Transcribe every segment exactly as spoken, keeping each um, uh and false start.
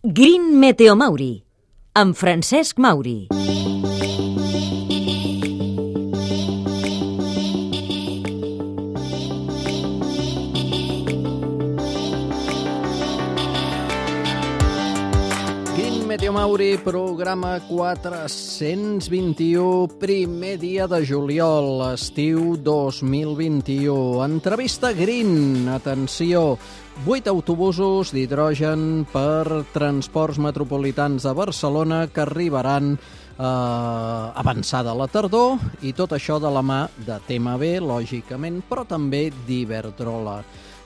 Green Meteo Mauri, amb Francesc Mauri. Meteo Mauri, programa quatre-cents vint-i-u, primer dia de juliol, estiu dos mil vint-i-u. Entrevista Green, atenció, vuit autobusos d'hidrogen per transports metropolitans de Barcelona que arribaran eh, avançada la tardor, i tot això de la mà de T M B, lògicament, però també d'Iberdrola.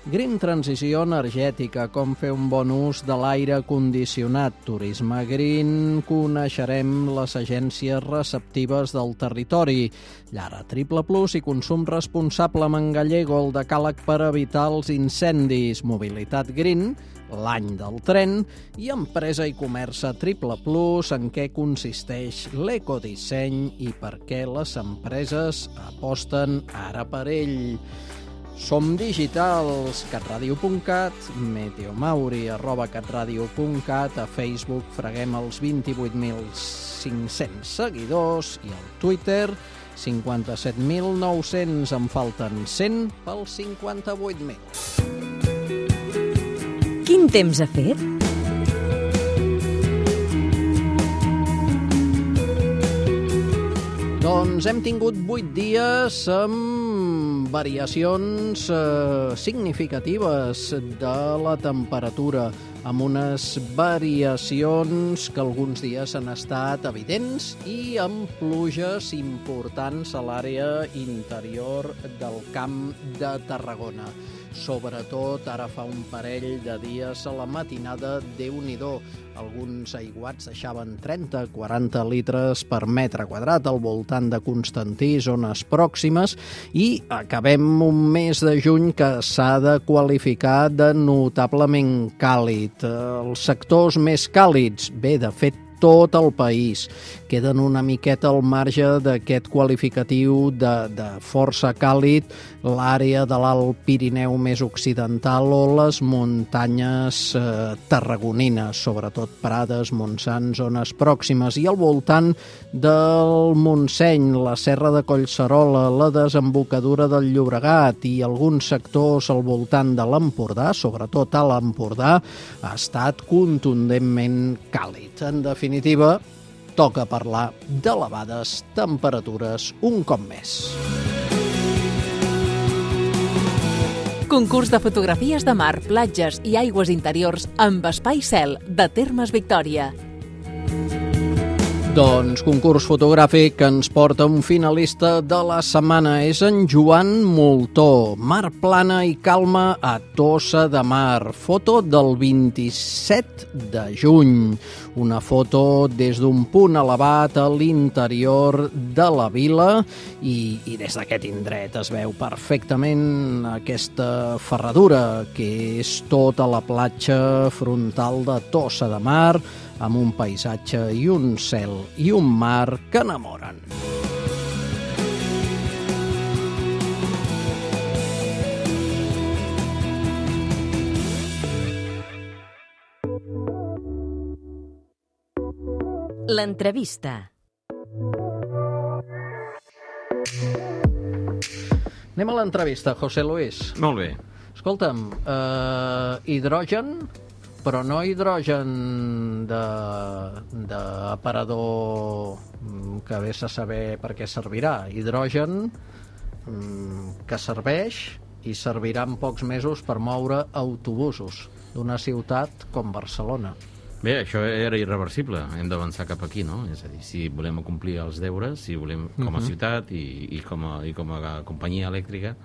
Green Transició Energètica, com fer un bon ús de l'aire condicionat. Turisme Green, coneixerem les agències receptives del territori. Llara Triple Plus i consum responsable amb en Gallego, el decàleg per evitar els incendis. Mobilitat Green, l'any del tren, i Empresa i Comerç Triple Plus, en què consisteix l'ecodisseny i per què les empreses aposten ara per ell. Som digitals, catradio punt cat, meteomauri arroba catradio punt cat, a Facebook freguem els vint-i-vuit mil cinc-cents seguidors i al Twitter cinquanta-set mil nou-cents, en falten cent pels cinquanta-vuit mil. Quin temps ha fet? Doncs hem tingut vuit dies amb variacions eh, significatives de la temperatura, amb unes variacions que alguns dies han estat evidents i amb pluges importants a l'àrea interior del Camp de Tarragona. Sobretot ara fa un parell de dies a la matinada, Déu-n'hi-do, alguns aiguats deixaven trenta a quaranta litres per metre quadrat al voltant de Constantí, zones pròximes, i acabem un mes de juny que s'ha de qualificar de notablement càlid. Els sectors més càlids, bé, de fet, tot el país, queden una miqueta al marge d'aquest qualificatiu de, de força càlid, l'àrea de l'Alt Pirineu més occidental o les muntanyes eh, tarragonines, sobretot Prades, Montsant, zones pròximes, i al voltant del Montseny, la Serra de Collserola, la desembocadura del Llobregat i alguns sectors al voltant de l'Empordà, sobretot a l'Empordà, ha estat contundentment càlid. En definitiva, toca parlar d'elevades temperatures un cop més. Concurs de fotografies de mar, platges i aigües interiors amb Espai Cel de Termes Victòria. Doncs concurs fotogràfic que ens porta un finalista de la setmana. És en Joan Moltó. Mar plana i calma a Tossa de Mar. Foto del vint-i-set de juny. Una foto des d'un punt elevat a l'interior de la vila i, i des d'aquest indret es veu perfectament aquesta ferradura que és tota la platja frontal de Tossa de Mar, amb un paisatge i un cel i un mar que enamoren. L'entrevista. Anem a l'entrevista, José Luis. Molt bé. Escolta'm, eh, hidrogen, però no hidrogen d'aparador que vés a saber per què servirà. Hidrogen que serveix i servirà en pocs mesos per moure autobusos d'una ciutat com Barcelona. Bé, això era irreversible, hem d'avançar cap aquí, no? És a dir, si volem complir els deures, si volem com a ciutat i, i, com, a, i com a companyia elèctrica,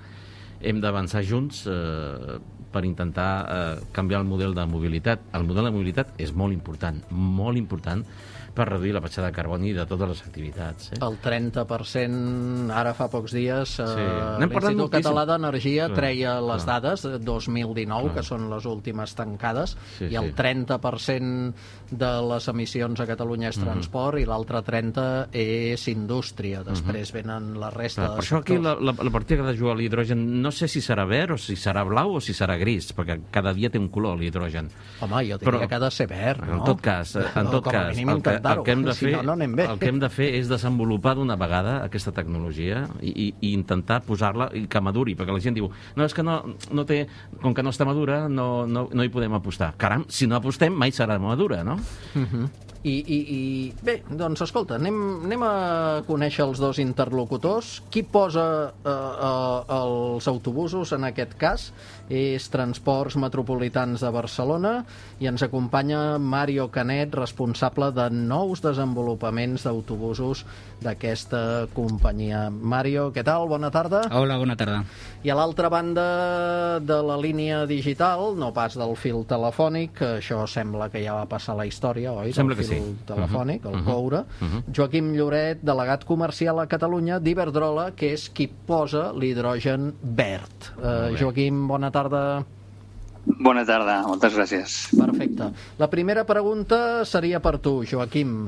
hem d'avançar junts eh, per intentar eh, canviar el model de mobilitat. El model de mobilitat és molt important, molt important per reduir la petjada de carboni de totes les activitats. Eh? El trenta per cent, ara fa pocs dies, eh, Sí. l'Institut Català d'Energia Clar, treia les clar. dades de dos mil dinou, Clar. que són les últimes tancades, Sí, i el sí. trenta per cent de les emissions a Catalunya és transport i l'altre trenta és indústria. Després venen la resta Clar, de per això aquí sectors. la, la, la partida que ha de jugar l'hidrogen no no sé si serà verd o si serà blau o si serà gris, perquè cada dia té un color l'hidrogen. Home, jo diria Però, que ha de ser verd, no? En tot cas, en tot com a cas mínim el, que, el, que hem de fer, si no, no anem bé. el que hem de fer és desenvolupar d'una vegada aquesta tecnologia i, i, i intentar posar-la i que maduri, perquè la gent diu, no, és que no, no té, com que no està madura, no, no, no hi podem apostar. Caram, si no apostem, mai serà madura, no? Uh-huh. I, i, i bé, doncs escolta, anem, anem a conèixer els dos interlocutors. Qui posa eh, eh, els autobusos en aquest cas és Transports Metropolitans de Barcelona i ens acompanya Mario Canet, responsable de nous desenvolupaments d'autobusos d'aquesta companyia. Mario, què tal? Bona tarda. Hola, bona tarda. I a l'altra banda de la línia digital, no pas del fil telefònic, que això sembla que ja va passar la història, oi? Sembla que sí. Telefònic, uh-huh. el coure. Uh-huh. Joaquim Lloret, delegat comercial a Catalunya d'Iberdrola, que és qui posa l'hidrogen verd. Uh, Joaquim, bona tarda. Bona tarda, moltes gràcies. Perfecte. La primera pregunta seria per tu, Joaquim.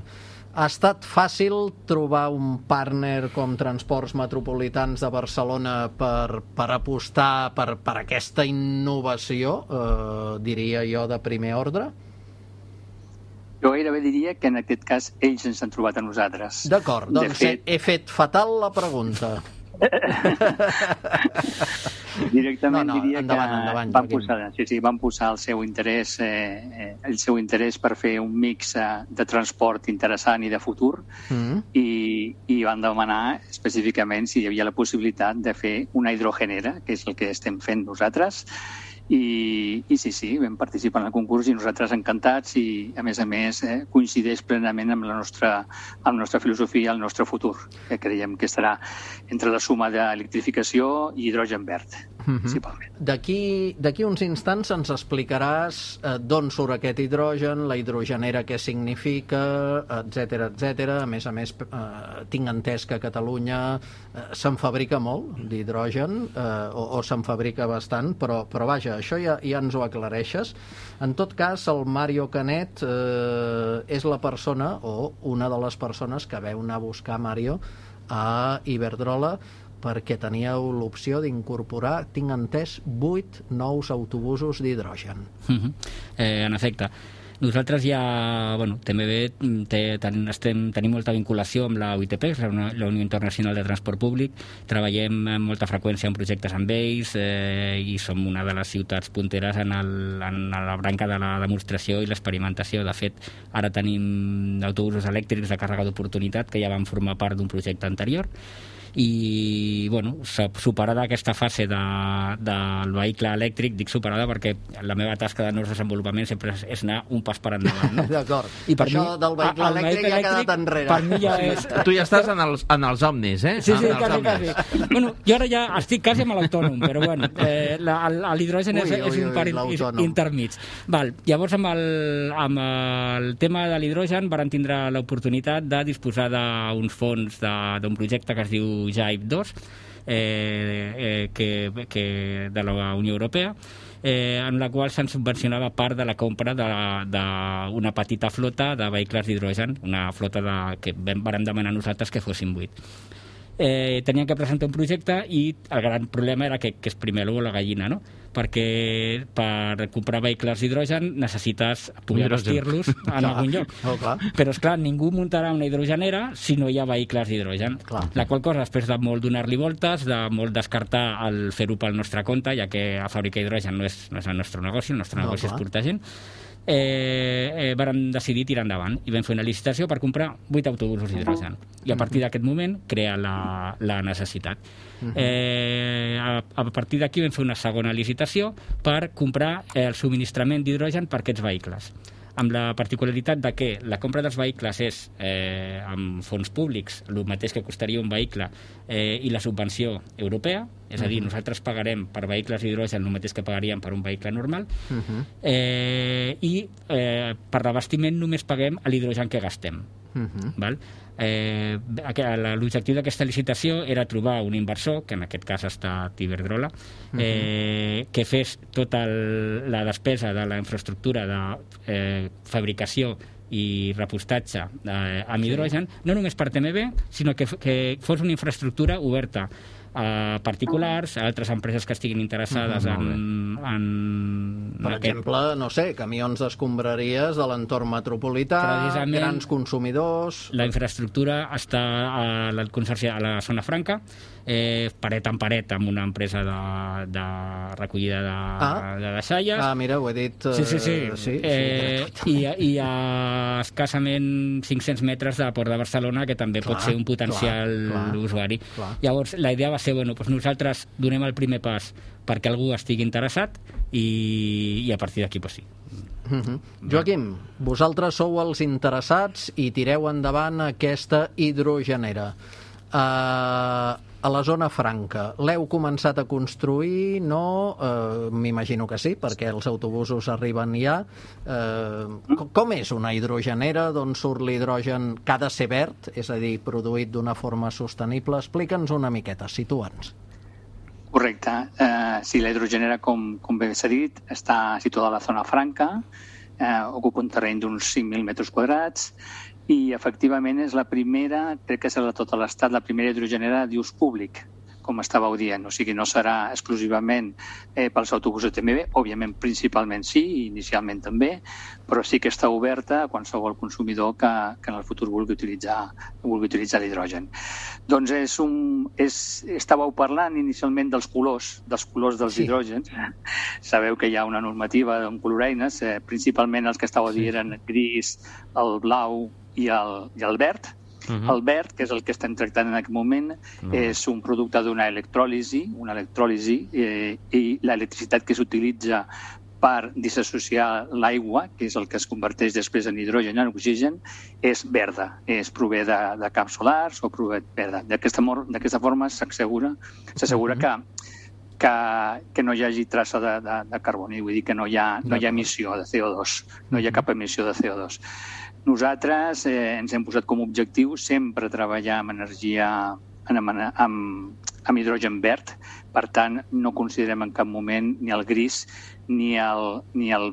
Ha estat fàcil trobar un partner com Transports Metropolitans de Barcelona per, per apostar per, per aquesta innovació, eh, diria jo, de primer ordre? Jo gairebé diria que en aquest cas ells ens han trobat a nosaltres. D'acord, doncs de fet... he fet fatal la pregunta. Directament no, no, diria endavant, que endavant, van, posar, sí, sí, van posar el seu interès eh, el seu interès per fer un mix eh, de transport interessant i de futur mm. i, i van demanar específicament si hi havia la possibilitat de fer una hidrogenera, que és el que estem fent nosaltres. I, i sí, sí, vam participar en el concurs i nosaltres encantats i, a més a més, eh, coincideix plenament amb la nostra, amb la nostra filosofia i el nostre futur, que creiem que estarà entre la suma d'electrificació i hidrogen verd, mm-hmm. principalment. D'aquí d'aquí uns instants ens explicaràs eh, d'on surt aquest hidrogen, la hidrogenera què significa, etcètera, etcètera. A més a més, eh, tinc entès que a Catalunya eh, se'n fabrica molt d'hidrogen, eh, o, o se'n fabrica bastant, però, però vaja, això ja, ja ens ho aclareixes. En tot cas, el Mario Canet eh, és la persona, o una de les persones que veu anar a buscar Mario a Iberdrola perquè teníeu l'opció d'incorporar, tinc entès, vuit nous autobusos d'hidrogen. Uh-huh. eh, en efecte. Nosaltres ja, bueno, T M B té, ten, estem, tenim molta vinculació amb la U I T P, la, la Unió Internacional de Transport Públic, treballem amb molta freqüència en projectes amb ells eh, i som una de les ciutats punteres en, el, en la branca de la demostració i l'experimentació. De fet, ara tenim autobusos elèctrics de càrrega d'oportunitat que ja van formar part d'un projecte anterior i, bueno, superada aquesta fase de, del vehicle elèctric, dic superada perquè la meva tasca de nous desenvolupament sempre és, és anar un pas per endavant, no? D'acord. I per això mi, del vehicle elèctric, elèctric ja ha quedat enrere. Per mi ja és... Tu ja estàs en els, en els omnis, eh? Sí, sí, en quasi, quasi. Bueno, jo ara ja estic quasi amb l'autònom, però bueno, eh, l'hidrogen és, és un par intermig. Val, llavors, amb el, amb el tema de l'hidrogen varen tindre l'oportunitat de disposar d'uns fons d'un projecte que es diu J I P dos, eh, eh, que, que de la Unió Europea, eh, en la qual se'n subvencionava part de la compra d'una petita flota de vehicles d'hidrogen, una flota de, que vam demanar nosaltres que fossin vuit. Eh, tenien que presentar un projecte i el gran problema era que, que és primer l'ou o la gallina, no? Perquè per comprar vehicles d'hidrogen necessites poder vestir-los en algun lloc. Oh, clar. Però, esclar, ningú muntarà una hidrogenera si no hi ha vehicles d'hidrogen. La qual cosa, després de molt donar-li voltes, de molt descartar el fer-ho pel nostre compte, ja que a fabricar hidrogen no és, no és el nostre negoci, el nostre no, negoci clar. és portar gent, eh, eh, vàrem decidir tirar endavant i vam fer una licitació per comprar vuit autobusos d'hidrogen. I a partir d'aquest moment crea la, la necessitat. Eh, a, a partir d'aquí vam fer una segona licitació per comprar el subministrament d'hidrogen per aquests vehicles, amb la particularitat de que la compra dels vehicles és eh, amb fons públics, el mateix que costaria un vehicle, eh, i la subvenció europea, és a dir, nosaltres pagarem per vehicles d'hidrogen el mateix que pagaríem per un vehicle normal, uh-huh. eh, i eh, per l'abastiment només paguem l'hidrogen que gastem. Uh-huh. Val? Eh, l'objectiu d'aquesta licitació era trobar un inversor, que en aquest cas ha estat Iberdrola, eh, uh-huh. que fes tota el, la despesa de la infraestructura de eh, fabricació i repostatge eh, amb hidrogen, no només per T M B, sinó que, que fos una infraestructura oberta a particulars, a altres empreses que estiguin interessades Mm, en, en... Per aquest- exemple, no sé, camions d'escombraries de l'entorn metropolità, Precisament, grans consumidors... La infraestructura està a la Consorci a la Zona Franca, eh, paret en paret amb una empresa de, de recollida de, Ah. de deixalles. Ah, mira, ho he dit... Sí, sí, sí. eh, sí, eh, sí i, a- I a escassament cinc-cents metres de Port de Barcelona, que també Clar, pot ser un potencial clar, clar, usuari. clar. Llavors, la idea va ser, bueno, doncs nosaltres donem el primer pas perquè algú estigui interessat i, i a partir d'aquí, doncs sí. Uh -huh. Joaquim, vosaltres sou els interessats i tireu endavant aquesta hidrogenera. Uh, a la zona franca, l'heu començat a construir? No? Uh, M'imagino que sí, perquè els autobusos arriben ja. Uh, com és una hidrogenera? D'on surt l'hidrogen? Que ha de ser verd, és a dir, produït d'una forma sostenible. Explica'ns una miqueta, situa'ns. Correcte. Eh, sí, la hidrogenera, com, com bé s'ha dit, està situada a la zona franca, eh, ocupa un terreny d'uns cinc mil metres quadrats i, efectivament, és la primera, crec que serà de tot l'estat, la primera hidrogenera d'ús públic, com estàveu dient. O sigui, no serà exclusivament eh, pels autobusos de T M B, òbviament, principalment sí, inicialment també, però sí que està oberta a qualsevol consumidor que, que en el futur vulgui utilitzar, vulgui utilitzar l'hidrogen. Doncs és un, és, estàveu parlant inicialment dels colors, dels colors dels Sí. hidrògens. Sabeu que hi ha una normativa amb coloreines, eh, principalment els que estàveu dient eren gris, el blau i el, i el verd. Mhm. El verd, que és el que estem tractant en aquest moment, No. és un producte d'una electròlisi, una electròlisi eh, i l'electricitat que s'utilitza per disassociar l'aigua, que és el que es converteix després en hidrogen i en oxigen, és verda. És prové de, de camps solars o prové verda. D'aquesta mor- d'aquesta forma s'assegura s'assegura que, que, que no hi hagi traça de, de, de carboni, vull dir que no hi ha, no hi ha emissió de C O dos, no hi ha cap emissió de C O dos. Nosaltres eh, ens hem posat com a objectiu sempre treballar amb energia, amb, amb, amb hidrogen verd, per tant, no considerem en cap moment ni el gris ni el, ni el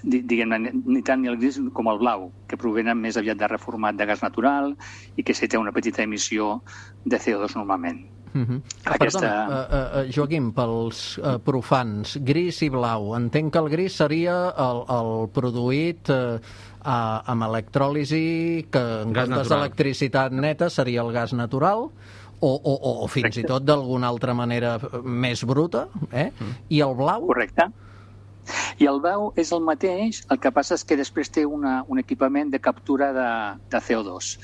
diguem-ne, ni tant ni el gris com el blau, que provenen més aviat de reformat de gas natural i que sí té una petita emissió de C O dos normalment. Uh -huh. Aquesta- Perdona, uh, uh, Joaquim, pels uh, profans, gris i blau, entenc que el gris seria el, el produït uh, uh, amb electròlisi, que en Gas comptes natural. d'electricitat neta seria el gas natural, o, o, o fins i tot d'alguna altra manera més bruta, eh? I el blau? Correcte. I el blau és el mateix, el que passa és que després té una, un equipament de captura de, de C O dos.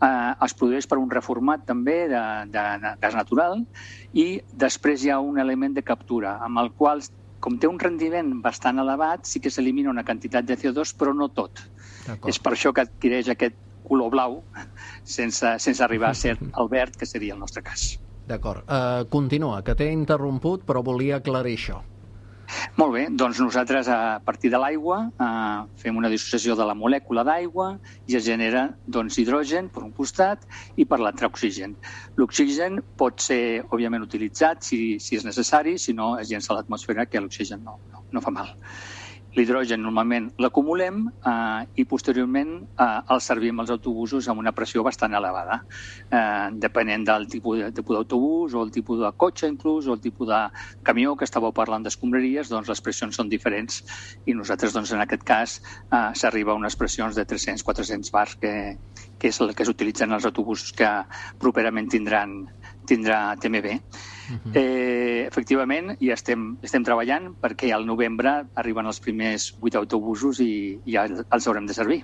Eh, es produeix per un reformat també de, de, de gas natural i després hi ha un element de captura amb el qual, com té un rendiment bastant elevat, sí que s'elimina una quantitat de C O dos, però no tot. D'acord. És per això que adquireix aquest color blau sense, sense arribar a ser el verd, que seria el nostre cas. D'acord. Uh, continua, que t'he interromput, però volia aclarir això. Molt bé, doncs nosaltres a partir de l'aigua eh, fem una dissociació de la molècula d'aigua i es genera doncs, hidrogen per un costat i per l'altre oxigen. L'oxigen pot ser, òbviament, utilitzat si, si és necessari, si no es llença a l'atmosfera, que l'oxigen no, no, no fa mal. L'hidrogen normalment l'acumulem eh, i posteriorment eh, el servim als autobusos amb una pressió bastant elevada. Eh, depenent del tipus de- tipus d'autobús o el tipus de cotxe inclús o el tipus de camió que estàveu parlant d'escombraries, doncs les pressions són diferents i nosaltres doncs, en aquest cas eh, s'arriba a unes pressions de tres-cents a quatre-cents bars que, que és el que s'utilitzen els autobusos que properament tindran tindrà T M B. Uh-huh. eh, efectivament, ja estem, estem treballant perquè al novembre arriben els primers vuit autobusos i ja els haurem de servir.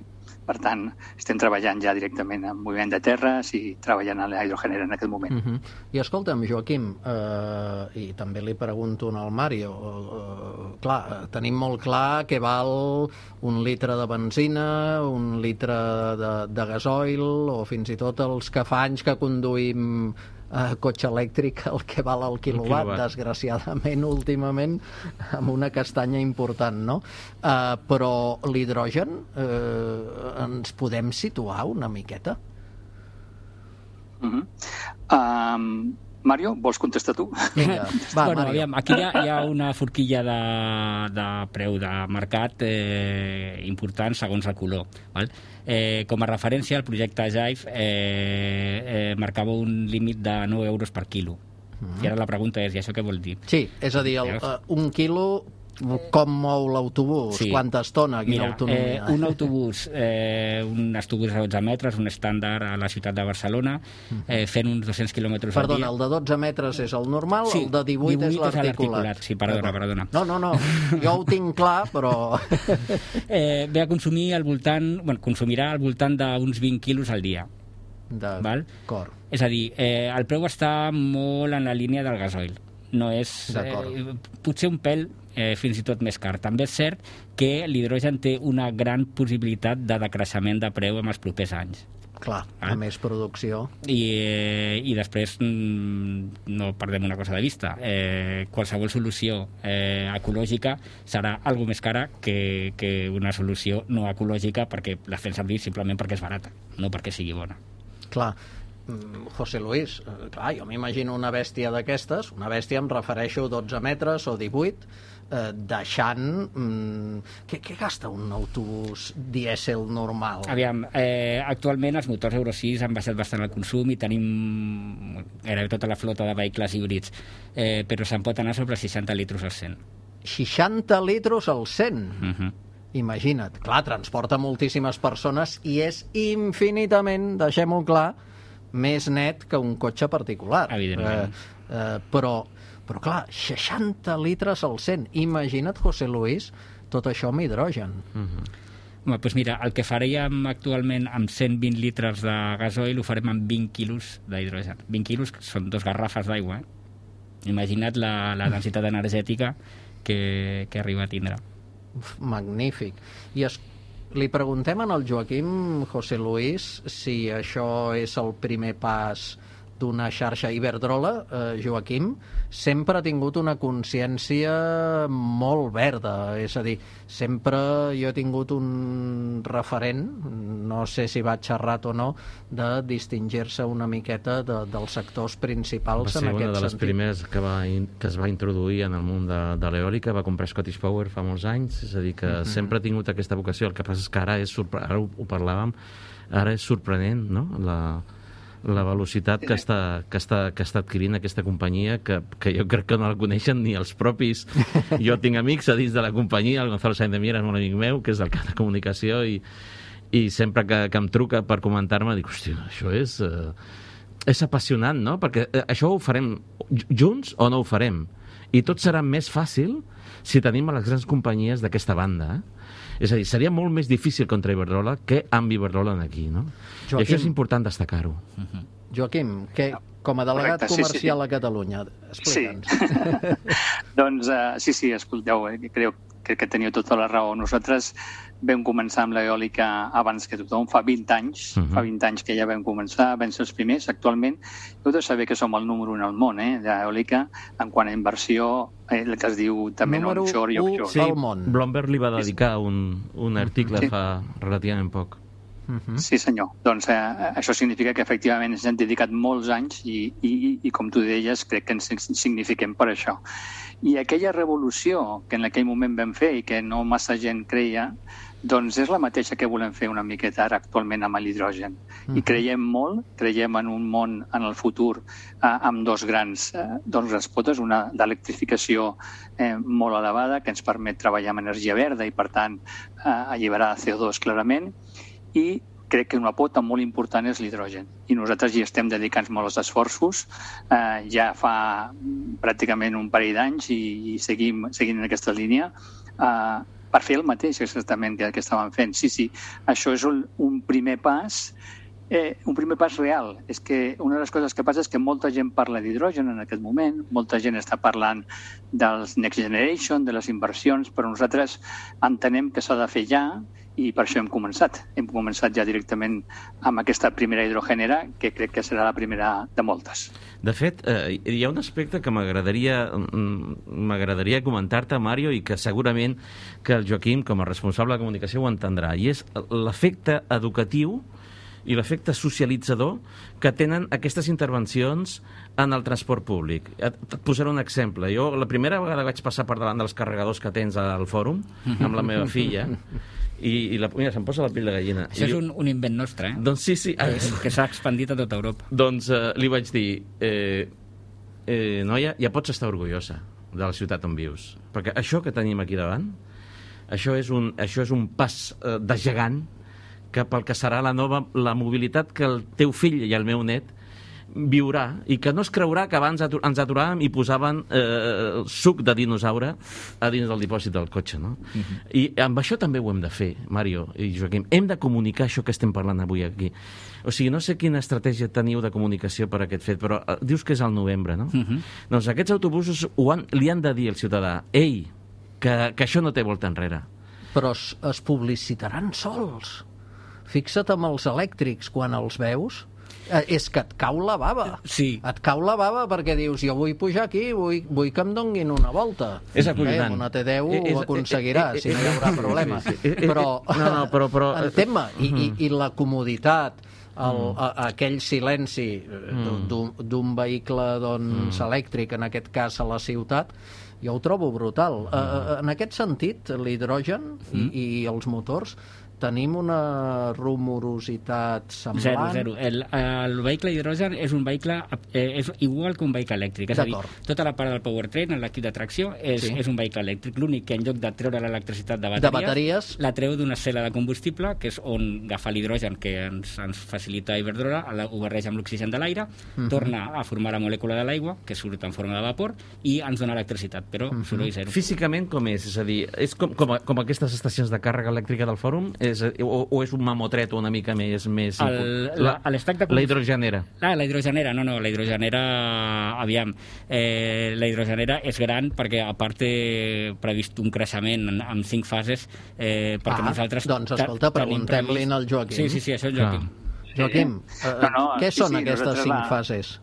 Per tant, estem treballant ja directament en moviment de terres i treballant a la hidrogenera en aquest moment. Uh -huh. I escolta'm, Joaquim, eh, i també li pregunto al Mario, eh, clar, tenim molt clar que val un litre de benzina, un litre de, de gasoil, o fins i tot els que fa anys que conduïm eh, cotxe elèctric, el que val el quilowatt, quilowatt. desgraciadament, últimament, amb una castanya important, no? Eh, però l'hidrogen, eh, ens podem situar una miqueta? Uh-huh. um, Mario, vols contestar tu? Vinga, va, bueno, Mario. aviam, aquí hi ha, hi ha una forquilla de, de preu de mercat eh, important segons el color. Val? Eh, com a referència, el projecte Jive eh, eh, marcava un límit de nou euros per quilo. Mm. I ara la pregunta és, i això què vol dir? Sí, és a dir, el, uh, un quilo, com mou l'autobús? Sí. Quanta estona? Quina Mira, autonomia? Eh, un autobús, eh, un autobús de dotze metres, un estàndard a la ciutat de Barcelona, eh, fent uns dos-cents quilòmetres al dia. Perdona, el de dotze metres és el normal, sí, el de divuit, divuit és l'articulat. Sí, perdona, perdona. No, no, no, jo ho tinc clar, però... eh, ve a consumir al voltant, bueno, consumirà al voltant d'uns vint quilos al dia. D'acord. És a dir, eh, el preu està molt en la línia del gasoil. No és... Eh, potser un pèl eh, fins i tot més car. També és cert que l'hidrogen té una gran possibilitat de decreixement de preu en els propers anys. Clar, a més producció. I, eh, i després mm, no perdem una cosa de vista. Eh, qualsevol solució eh, ecològica serà algo més cara que, que una solució no ecològica perquè la fem servir simplement perquè és barata, no perquè sigui bona. Clar, José Luis, clar, jo m'imagino una bèstia d'aquestes, una bèstia em refereixo a dotze metres o divuit, eh, deixant... Mm, què, què gasta un autobús dièsel normal? Aviam, eh, actualment els motors Euro sis han baixat bastant el consum i tenim gairebé tota la flota de vehicles híbrids, eh, però se'n pot anar sobre seixanta litros al cent. seixanta litros al cent? Uh-huh. Imagina't. Clar, transporta moltíssimes persones i és infinitament, deixem-ho clar, més net que un cotxe particular. Evidentment. Eh, eh, però, però clar, seixanta litres al cent. Imagina't, José Luis, tot això amb hidrogen. Uh-huh. Home, doncs mira, el que faríem actualment amb cent vint litres de gasoil ho farem amb vint quilos d'hidrogen. vint quilos són dos garrafes d'aigua, eh? Imagina't la, la densitat energètica que, que arriba a tindre. Magnífic. I es, li preguntem al Joaquim José Luis si això és el primer pas d'una xarxa Iberdrola. eh, Joaquim sempre ha tingut una consciència molt verda, és a dir, sempre jo he tingut un referent, no sé si va xerrat o no, de distingir-se una miqueta de, dels sectors principals en aquest sentit. Va ser una de les primeres que, va, que es va introduir en el món de, de l'eòlica, va comprar Scottish Power fa molts anys, és a dir, que mm-hmm. sempre ha tingut aquesta vocació. El que passa és que ara, és sorpre... ara ho, ho parlàvem, ara és sorprenent, no?, la la velocitat que està, que està, que està adquirint aquesta companyia, que, que jo crec que no la coneixen ni els propis. Jo tinc amics a dins de la companyia, el Gonzalo Sainz de Miera és un amic meu, que és el cap de comunicació, i, i sempre que, que em truca per comentar-me, dic, hòstia, això és, eh, és apassionant, no? Perquè eh, això ho farem junts o no ho farem? I tot serà més fàcil si tenim a les grans companyies d'aquesta banda, eh? És a dir, seria molt més difícil contra Iberdrola que amb Iberdrola aquí, no? Joaquim, i això és important destacar-ho. Uh-huh. Joaquim, que, com a delegat Correcte, comercial sí, sí. a Catalunya, explica'ns. Sí. doncs, uh, sí, sí, escolteu, eh, crec, crec que teniu tota la raó. Nosaltres vam començar amb l'eòlica abans que tothom, fa vint anys, uh-huh. fa vint anys que ja vam començar, vam ser els primers. Actualment, heu de saber que som el número un al món, eh, d'eòlica, en quant a inversió, eh, el que es diu també número onshore i offshore. Sí, al món. Bloomberg li va dedicar un, un article sí. fa relativament poc. Uh-huh. Sí, senyor. Doncs eh, això significa que efectivament ens hem dedicat molts anys i, i, i com tu deies, crec que ens signifiquem per això. I aquella revolució que en aquell moment vam fer i que no massa gent creia, doncs és la mateixa que volem fer una miqueta ara actualment amb l'hidrogen. Uh-huh. I creiem molt, creiem en un món en el futur eh, amb dos grans, eh, dos grans potes, una d'electrificació eh, molt elevada que ens permet treballar amb energia verda i per tant eh, alliberar C O dos clarament, i crec que una pota molt important és l'hidrogen. I nosaltres hi estem dedicant molts esforços, eh, ja fa pràcticament un parell d'anys i, i seguim, seguim en aquesta línia, eh, per fer el mateix exactament que, que estàvem fent. Sí, sí, això és un, un primer pas, eh, un primer pas real. És que una de les coses que passa és que molta gent parla d'hidrogen en aquest moment, molta gent està parlant dels Next Generation, de les inversions, però nosaltres entenem que s'ha de fer ja, i per això hem començat. Hem començat ja directament amb aquesta primera hidrogenera, que crec que serà la primera de moltes. De fet, eh, hi ha un aspecte que m'agradaria m'agradaria comentar-te, Mario, i que segurament que el Joaquim, com a responsable de comunicació, ho entendrà, i és l'efecte educatiu i l'efecte socialitzador que tenen aquestes intervencions en el transport públic. Et, et posaré un exemple. Jo la primera vegada vaig passar per davant dels carregadors que tens al fòrum amb la meva filla, i, i la, mira, se'm posa la pell de gallina. Això I és un, un invent nostre, eh? Doncs sí, sí. Que, que s'ha expandit a tota Europa. Doncs eh, li vaig dir, eh, eh, noia, ja pots estar orgullosa de la ciutat on vius. Perquè això que tenim aquí davant, això és un, això és un pas eh, de gegant cap al que serà la nova la mobilitat que el teu fill i el meu net viurà, i que no es creurà que abans atu ens aturàvem i posaven eh, suc de dinosaure a dins del dipòsit del cotxe, no? Uh-huh. I amb això també ho hem de fer, Mario i Joaquim. Hem de comunicar això que estem parlant avui aquí. O sigui, no sé quina estratègia teniu de comunicació per aquest fet, però eh, dius que és al novembre, no? Uh-huh. Doncs aquests autobusos ho han, li han de dir al ciutadà, ei, que, que això no té volta enrere. Però es, es publicitaran sols. Fixa't amb els elèctrics quan els veus. Eh, és que et cau la bava. Sí. Et cau la bava perquè dius, jo vull pujar aquí, vull, vull que em donguin una volta. És acollonant. Eh, amb una T deu Eh, és- ho aconseguirà, eh, eh, si no hi haurà problema. sí, sí. Eh, eh, Però, no, no, però- però- entén-me, i, i, i la comoditat, el, a, aquell silenci d'un d'un vehicle doncs, elèctric, en aquest cas a la ciutat, jo ho trobo brutal. Uh, en aquest sentit, l'hidrogen i, i els motors tenim una rumorositat semblant. Zero, zero. El, el vehicle d'hidrogen és un vehicle eh, és igual que un vehicle elèctric. És a dir, tota la part del powertrain, l'equip de tracció, és, Sí. és un vehicle elèctric. L'únic que en lloc de treure l'electricitat de bateries, De bateries. la treu d'una cel·la de combustible, que és on agafa l'hidrogen que ens, ens facilita Iberdrola, la- ho barreja amb l'oxigen de l'aire, torna a formar la molècula de l'aigua, que surt en forma de vapor, i ens dona electricitat, però soroll zero. Físicament com és? És a dir, és com, com, a- com aquestes estacions de càrrega elèctrica del fòrum? És, o, o és un mamotret una mica més... més El- la- l'estac de la hidrogenera. Ah, la hidrogenera, no, no, la hidrogenera, aviam, eh, la hidrogenera és gran perquè a part té previst un creixement en, en cinc fases, eh, perquè Ah, nosaltres... doncs, te- escolta, tenim preguntem-li previst- al Joaquim. Sí, sí, sí, això és Joaquim. Joaquim, eh, No, no, què sí, són sí, aquestes nosaltres cinc la- fases?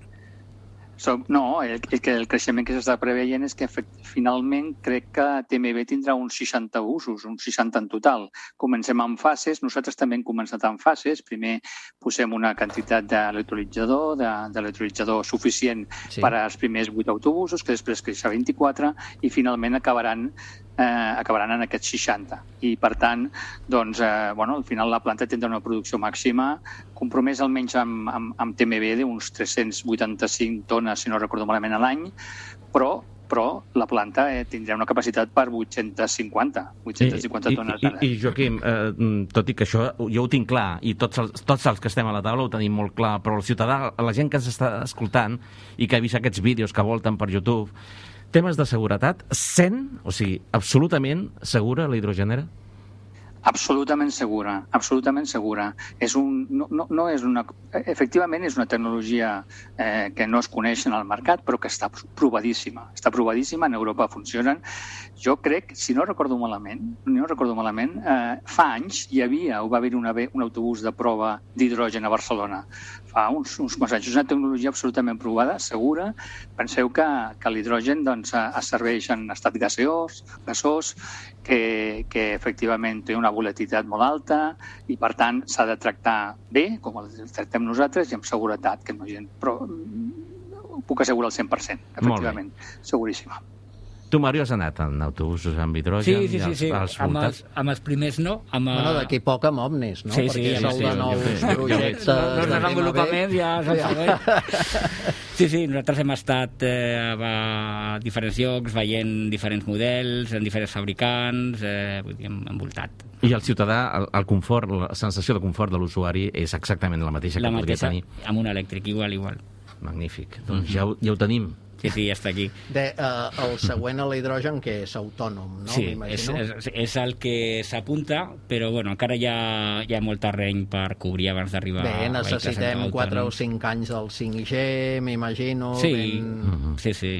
Som, no, el, el, que el creixement que s'està preveient és que efect, finalment crec que T M B tindrà uns seixanta usos, uns seixanta en total. Comencem amb fases, nosaltres també hem començat amb fases. Primer posem una quantitat d'electrolitzador, de, d'electrolitzador suficient Sí. sí. per als primers vuit autobusos, que després creix a vint-i-quatre i finalment acabaran eh, acabaran en aquests seixanta. I, per tant, doncs, eh, bueno, al final la planta tindrà una producció màxima compromès almenys amb, amb, amb T M B d'uns tres-cents vuitanta-cinc tones, si no recordo malament, a l'any, però però la planta eh, tindrà una capacitat per vuit-cents cinquanta, vuit-cents cinquanta I, tones i, a l'any. i Joaquim, eh, tot i que això jo ho tinc clar, i tots els, tots els que estem a la taula ho tenim molt clar, però el ciutadà, la gent que ens està escoltant i que ha vist aquests vídeos que volten per YouTube, temes de seguretat, cent, o sigui, absolutament segura la hidrogenera? Absolutament segura, absolutament segura. És un, no, no, no és una, efectivament és una tecnologia eh, que no es coneix en el mercat, però que està provadíssima. Està provadíssima, en Europa funcionen. Jo crec, si no recordo malament, no recordo malament, eh, fa anys hi havia, o va haver una, un autobús de prova d'hidrogen a Barcelona. Fa uns, uns quants anys. És una tecnologia absolutament provada, segura. Penseu que, que l'hidrogen doncs, es serveix en estat gaseós, gasós, que, que efectivament té una volatilitat molt alta i, per tant, s'ha de tractar bé, com el tractem nosaltres, i amb seguretat, que no hi ha... Però ho puc assegurar al cent per cent, efectivament. Seguríssima. Tu, Mario, has anat en autobusos amb hidrogen? Sí, sí, sí, sí. Els, els Amb, els, voltats? amb els primers no. Amb, Bueno, d'aquí poc amb Omnis, no? Sí, sí, Perquè és sí, el sí, de sí, nous jo veig, jo veig. projectes els de desenvolupaments ja és el Ja. següent. Sí, sí, nosaltres hem estat eh, a diferents llocs, veient diferents models, en diferents fabricants, eh, vull dir, hem envoltat. I el ciutadà, el, el confort, la sensació de confort de l'usuari és exactament la mateixa La que mateixa, podria tenir. amb un elèctric, igual, igual. Magnífic. Doncs ja, ho- ja ho tenim. Sí, sí, ja està aquí. De, uh, el següent a l'hidrogen, que és autònom, no? Sí, és, M'imagino. és, és el que s'apunta, però bueno, encara hi ha, hi ha molt terreny per cobrir abans d'arribar Bé, a vehicles necessitem quatre o autònoms. cinc anys del cinc G, m'imagino. Sí, Ben... sí, sí.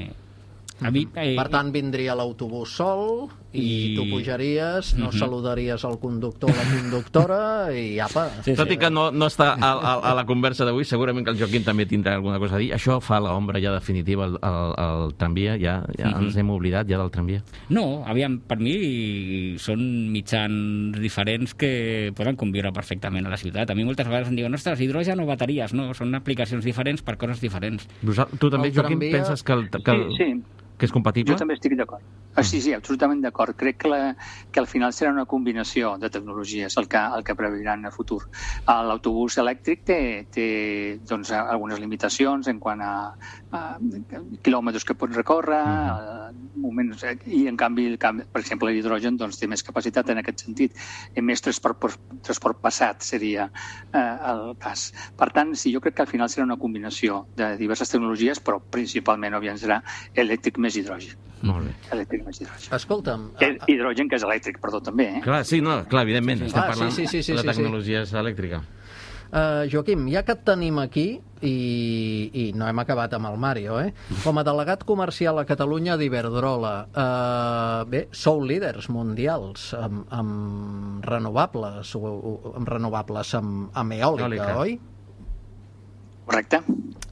A mi, eh, Per tant, vindria l'autobús sol i, I- tu pujaries, no Mhm. saludaries el conductor o la conductora i apa. Sí, Tot sí. i que no, no està a, a, a la conversa d'avui, segurament que el Joaquim també tindrà alguna cosa a dir. Això fa l'ombra ja definitiva al, al, al tramvia, ja, ja Mhm. ens hem oblidat ja del tramvia. No, aviam, per mi són mitjans diferents que poden conviure perfectament a la ciutat. A mi moltes vegades em diuen, ostres, hidrogen o bateries? No, són aplicacions diferents per coses diferents. Vosal- Tu també, El Joaquim, tramvia- penses que el... Que el... Sí, sí. Que és compatible? Jo també estic d'acord. Ah, sí, sí, absolutament d'acord. Crec que, la, que al final serà una combinació de tecnologies el que, el que preveuran a futur. L'autobús elèctric té, té doncs, algunes limitacions en quant a, a quilòmetres que pot recórrer, uh-huh. moments, i en canvi, per exemple, l'hidrogen doncs, té més capacitat en aquest sentit. I més transport, transport passat seria eh, el cas. Per tant, sí, jo crec que al final serà una combinació de diverses tecnologies, però principalment, òbviament, serà elèctric més hidrogen. Molt bé. Elèctric més hidrogen. Escolta'm... Que, hidrogen que és elèctric, perdó, també, eh? Clar, sí, no, clar, evidentment, sí, sí. estem ah, parlant sí, sí, sí, sí, de la tecnologia sí. elèctrica. Uh, Joaquim, ja que et tenim aquí, i, i no hem acabat amb el Mario, eh? Com a delegat comercial a Catalunya d'Iberdrola, uh, bé, sou líders mundials amb, amb renovables, amb renovables amb, amb eòlica, eòlica, oi? Correcte.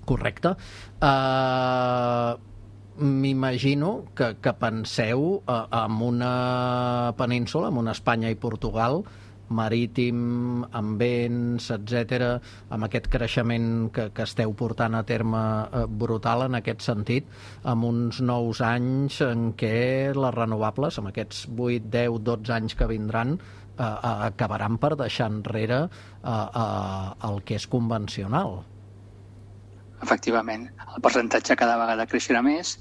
Correcte. Uh, M'imagino que, que penseu uh, en una península, en una Espanya i Portugal, marítim, amb vents, etcètera, amb aquest creixement que, que esteu portant a terme eh, brutal en aquest sentit, amb uns nous anys en què les renovables, amb aquests vuit, deu, dotze anys que vindran, eh, eh, acabaran per deixar enrere eh, eh, el que és convencional. Efectivament, el percentatge cada vegada creixerà més,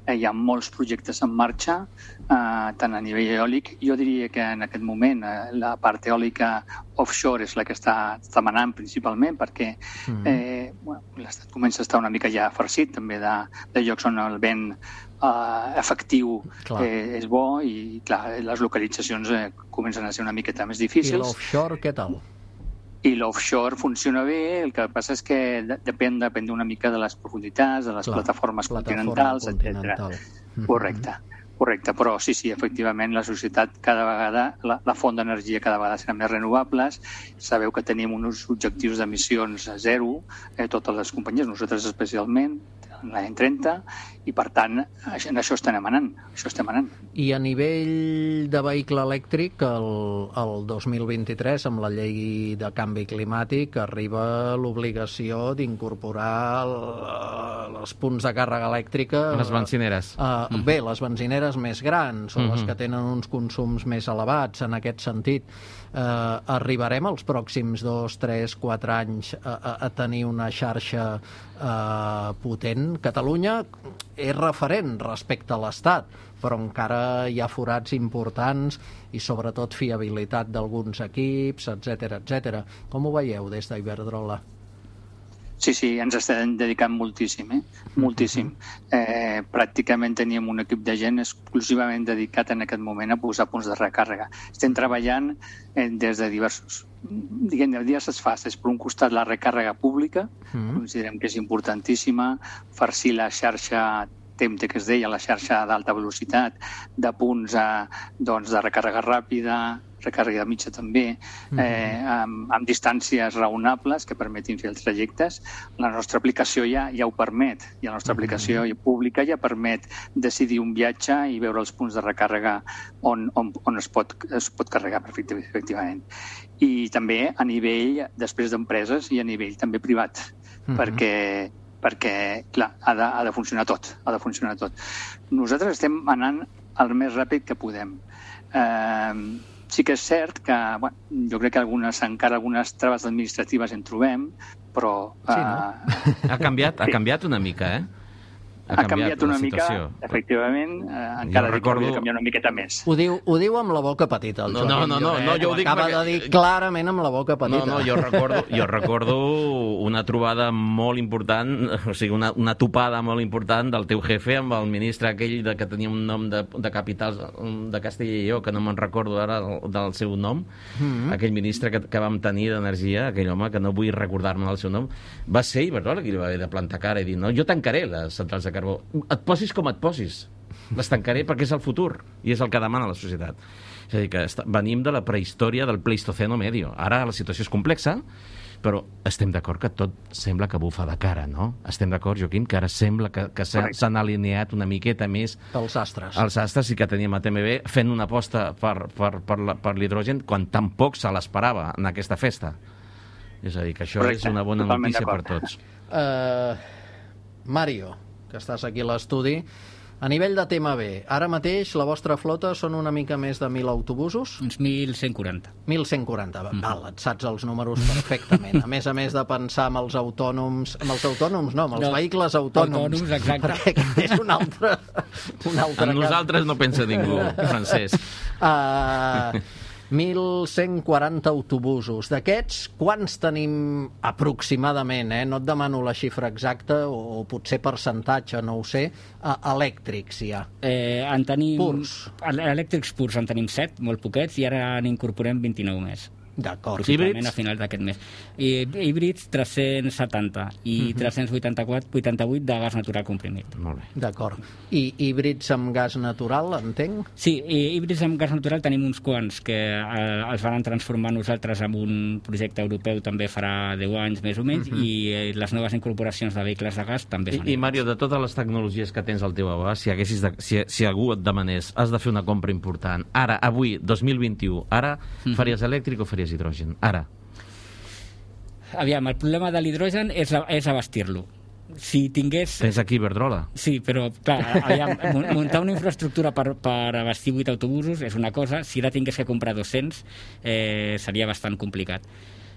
eh, hi ha molts projectes en marxa, eh, tant a nivell eòlic. Jo diria que en aquest moment eh, la part eòlica offshore és la que està, està manant principalment, perquè mm. eh, bueno, l'Estat comença a estar una mica ja farcit també de, de llocs on el vent eh, efectiu eh, és bo i clar, les localitzacions eh, comencen a ser una miqueta més difícils. I l'offshore què tal? I l'offshore funciona bé, el que passa és que depèn, depèn una mica de les profunditats, de les Clar, plataformes continentals, etcètera. Mm-hmm. Correcte, correcte. Però sí, sí, efectivament, la societat cada vegada, la, la font d'energia cada vegada serà més renovables. Sabeu que tenim uns objectius d'emissions a zero, eh, totes les companyies, nosaltres especialment, l'any trenta, i per tant en això estem anant, això estem anant. I a nivell de vehicle elèctric, el, el dos mil vint-i-tres, amb la llei de canvi climàtic, arriba l'obligació d'incorporar els punts de càrrega elèctrica... Les benzineres. Uh, mm. Bé, les benzineres més grans, o mm-hmm. les que tenen uns consums més elevats, en aquest sentit. Uh, arribarem els pròxims dos, tres, quatre anys a, a, a tenir una xarxa uh, potent. Catalunya és referent respecte a l'Estat, però encara hi ha forats importants i sobretot fiabilitat d'alguns equips, etcètera, etcètera. Com ho veieu des d'Iberdrola? Sí, sí, ens estem dedicant moltíssim, eh? Moltíssim. Eh, pràcticament teníem un equip de gent exclusivament dedicat en aquest moment a posar punts de recàrrega. Estem treballant eh, des de diversos, diguem, de diverses fases. Per un costat, la recàrrega pública, mm. considerem que és importantíssima, farcir la xarxa T E M T, que es deia, la xarxa d'alta velocitat, de punts a, doncs, de recàrrega ràpida, recàrrega mitja també, eh, amb, amb distàncies raonables que permetin fer els trajectes. La nostra aplicació ja, ja ho permet, i la nostra aplicació pública ja permet decidir un viatge i veure els punts de recàrrega on, on, on es, pot, es pot carregar efectivament. I també a nivell, després d'empreses, i a nivell també privat, uh-huh. perquè perquè, clar, ha de, ha de funcionar tot, ha de funcionar tot. Nosaltres estem anant el més ràpid que podem. Eh, sí que és cert que, bueno, jo crec que algunes, encara algunes traves administratives en trobem, però... Sí, no? Eh, ha canviat, ha canviat una mica, eh? Ha, ha canviat, canviat una mica, efectivament, eh, encara recordo... dic que canviar una miqueta més. Ho diu, ho diu amb la boca petita, el no, Joaquim no, no, Lloret. No, jo ho dic acaba perquè... de dir clarament amb la boca petita. No, no, jo recordo, jo recordo una trobada molt important, o sigui, una, una topada molt important del teu jefe amb el ministre aquell de, que tenia un nom de, de capitals de Castella i Lleó, que no me'n recordo ara del, del seu nom, mm-hmm. aquell ministre que, que vam tenir d'Energia, aquell home que no vull recordar-me el seu nom, va ser Iberdrola qui li va haver de plantar cara i dir, no, jo tancaré les centrals de carbó. Et posis com et posis, les tancaré perquè és el futur i és el que demana la societat. És a dir, que està, venim de la prehistòria del Pleistoceno medio. Ara la situació és complexa, però estem d'acord que tot sembla que bufa de cara, no? Estem d'acord, Joaquim, que ara sembla que, que s'han alineat una miqueta més els astres. Els astres i que teníem a T M B fent una aposta per, per, per, la, per l'hidrogen quan tampoc se l'esperava en aquesta festa. És a dir, que això Correcte. És una bona notícia per tots. Uh, Mario, que estàs aquí a l'estudi, A nivell de T M B, ara mateix la vostra flota són una mica més de mil autobusos? Uns mil cent quaranta. mil cent quaranta, val, mm. et saps els números perfectament. A més a més de pensar amb els autònoms, amb els autònoms no, amb els no, vehicles autònoms. Autònoms, exacte. Perquè és un altre, un altre amb nosaltres no pensa ningú, Francesc. Uh, mil cent quaranta autobusos. D'aquests, quants tenim aproximadament, eh? No et demano la xifra exacta o, o potser percentatge, no ho sé, uh, elèctrics hi ha? Eh, en tenim... Purs. Elèctrics purs en tenim set, molt poquets, i ara n'incorporem vint-i-nou més. D'acord. Possiblement a finals d'aquest mes. I híbrids tres-cents setanta i uh-huh. tres-cents vuitanta-quatre vuitanta-vuit de gas natural comprimit. Molt bé. D'acord. I híbrids amb gas natural, entenc? Sí, i híbrids amb gas natural tenim uns quants que eh, els van transformar nosaltres en un projecte europeu també farà deu anys més o menys, uh-huh. i eh, les noves incorporacions de vehicles de gas també són. I, i Mario, de totes les tecnologies que tens al teu abast, si, haguessis de, si, si algú et demanés, has de fer una compra important, ara, avui, dos mil vint-i-u, ara, uh-huh. faries elèctric o faries hidrogen? Ara. Aviam, el problema de l'hidrogen és, és abastir-lo. Si tingués... Tens aquí Iberdrola. Sí, però, clar, aviam, muntar una infraestructura per, per abastir vuit autobusos és una cosa, si la tingués que comprar dos-cents eh, seria bastant complicat.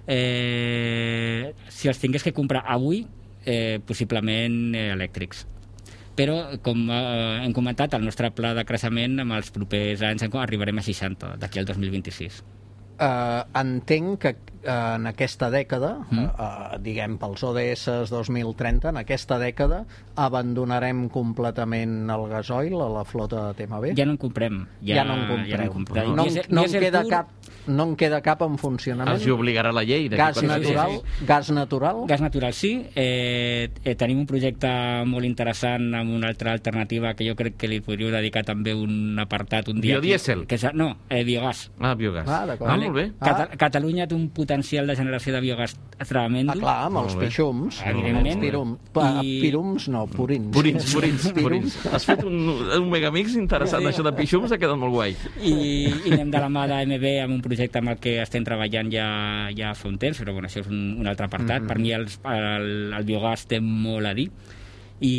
Eh, si els tingués que comprar avui, eh, possiblement eh, elèctrics. Però, com eh, hem comentat, el nostre pla de creixement amb els propers anys arribarem a seixanta, d'aquí al dos mil vint-i-sis. Uh, entenc que uh, en aquesta dècada, mm. uh, uh, diguem pels O D S dos mil trenta, en aquesta dècada abandonarem completament el gasoil a la flota de T M B? Ja no en comprem. Ja, ja no en comprem. Ja no en, comprem. No, no, no, en queda cap, no en queda cap en funcionament? Els hi obligarà la llei. Gas natural? Sí, sí, sí. Gas natural? Gas natural, sí. Eh, eh, tenim un projecte molt interessant amb una altra alternativa que jo crec que li podríeu dedicar també un apartat un dia. Biodiesel? Que, que, no, eh, biogàs. Ah, biogàs. Ah, d'acord. Ah, molt bé. Cata ah. Catalunya té un potencial de generació de biogàs tremendo. Ah, clar, amb els pixums. Evidentment. Pirums. I... Pirums, no, purins. Purins, purins, purins. Has fet un, un megamix interessant, això de pixums ha quedat molt guai. I, i anem de la mà d'A M B amb un projecte amb el que estem treballant ja, ja fa un temps, però bueno, això és un, un altre apartat. Mm-hmm. Per mi els, el, el biogàs té molt a dir. I,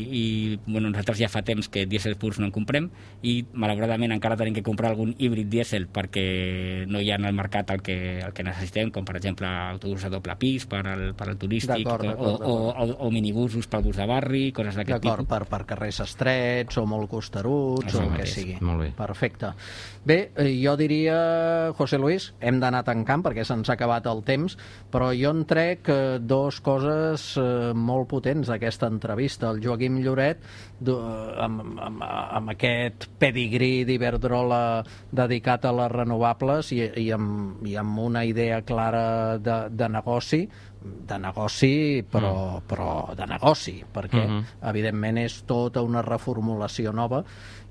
i bueno, nosaltres ja fa temps que dièsel purs no en comprem i malauradament encara tenim que comprar algun híbrid dièsel perquè no hi ha en el mercat el que, el que necessitem, com per exemple autobusos de doble pis per al, per al turístic d'acord, d'acord, o, o, o, o minibusos pel bus de barri, coses d'aquest tipus. D'acord, per, per carrers estrets o molt costeruts Això o el mateix. que sigui. Molt bé. Perfecte. Bé, jo diria, José Luis, hem d'anar tancant perquè se'ns ha acabat el temps, però jo en trec eh, dos coses eh, molt potents d'aquesta entrevista. El Joaquim Lloret, amb, amb, amb aquest pedigrí d'Iberdrola dedicat a les renovables i, i, amb, i amb una idea clara de, de negoci, de negoci, però, mm. però de negoci, perquè, mm-hmm. evidentment, és tota una reformulació nova,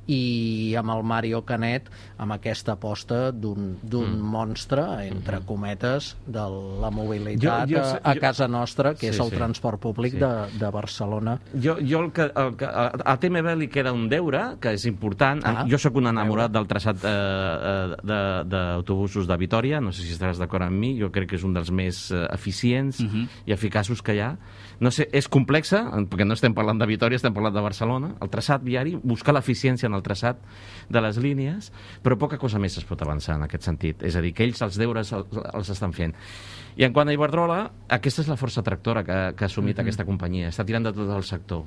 i amb el Mario Canet amb aquesta aposta d'un mm. monstre, entre mm-hmm. cometes, de la mobilitat jo, jo, a, a casa nostra, que sí, és el sí. transport públic sí. de, de Barcelona. Jo, jo el que, el que, a T M B li queda un deure, que és important. Ah, jo sóc un enamorat del traçat eh, d'autobusos de, de Vitòria, no sé si estaràs d'acord amb mi, jo crec que és un dels més eh, eficients mm-hmm. i eficaços que hi ha. No sé, és complexa, perquè no estem parlant de Vitòria, estem parlant de Barcelona. El traçat viari, buscar l'eficiència en el traçat de les línies, però poca cosa més es pot avançar en aquest sentit. És a dir, que ells els deures els, els estan fent. I en quant a Iberdrola, aquesta és la força tractora que, que ha assumit mm-hmm. aquesta companyia. Està tirant de tot el sector.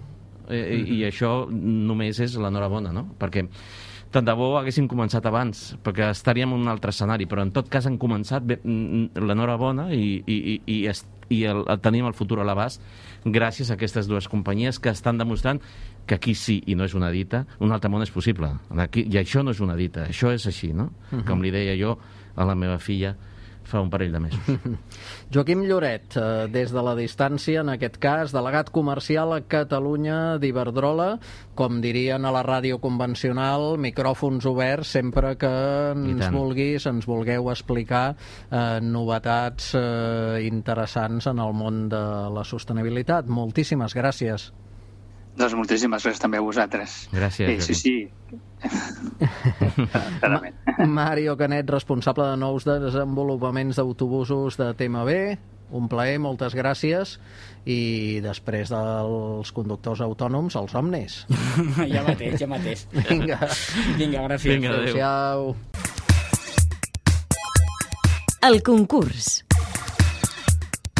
Eh, mm-hmm. I això només és l'enhorabona, no? Perquè tant de bo haguéssim començat abans, perquè estaríem en un altre escenari, però en tot cas han començat l'enhorabona i, i, i, i, i el, el tenim el futur a l'abast gràcies a aquestes dues companyies que estan demostrant que aquí sí, i no és una dita, un altre món és possible. Aquí, i això no és una dita, això és així, no? Uh-huh. Com li deia jo a la meva filla fa un parell de mesos. Joaquim Lloret, eh, des de la distància, en aquest cas, delegat comercial a Catalunya d'Iberdrola, com dirien a la ràdio convencional, micròfons oberts sempre que ens vulguis, ens vulgueu explicar eh, novetats eh, interessants en el món de la sostenibilitat. Moltíssimes gràcies. Doncs moltíssimes gràcies també a vosaltres. Gràcies. Sí, sí, sí. Mario Canet, responsable de nous desenvolupaments d'autobusos de T M B. Un plaer, moltes gràcies. I després dels conductors autònoms, els somnis. Ja mateix, ja mateix. Vinga. Vinga, gràcies. Vinga, adéu. Adéu-siau. El concurs.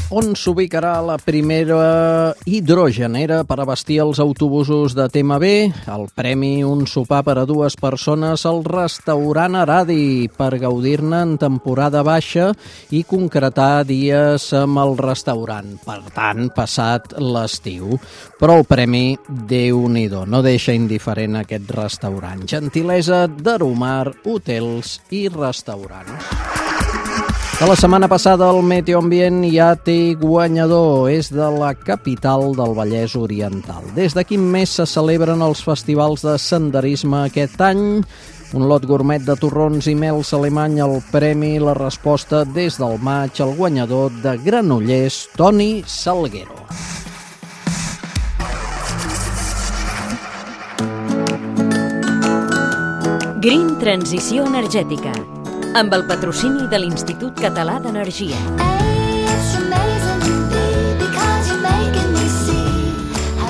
On s'ubicarà la primera hidrogenera per abastir els autobusos de T M B? El premi, un sopar per a dues persones al restaurant Aradi per gaudir-ne en temporada baixa i concretar dies amb el restaurant. Per tant, passat l'estiu. Però el premi, Déu-n'hi-do, no deixa indiferent aquest restaurant. Gentilesa d'Aromar, hotels i restaurants. De la setmana passada el Meteoambient ja té guanyador, és de la capital del Vallès Oriental. Des de quin mes se celebren els festivals de senderisme aquest any? Un lot gourmet de torrons i mels alemany al premi, la resposta des del maig, el guanyador de Granollers, Toni Salguero. Green Transició Energètica, amb el patrocini de l'Institut Català d'Energia.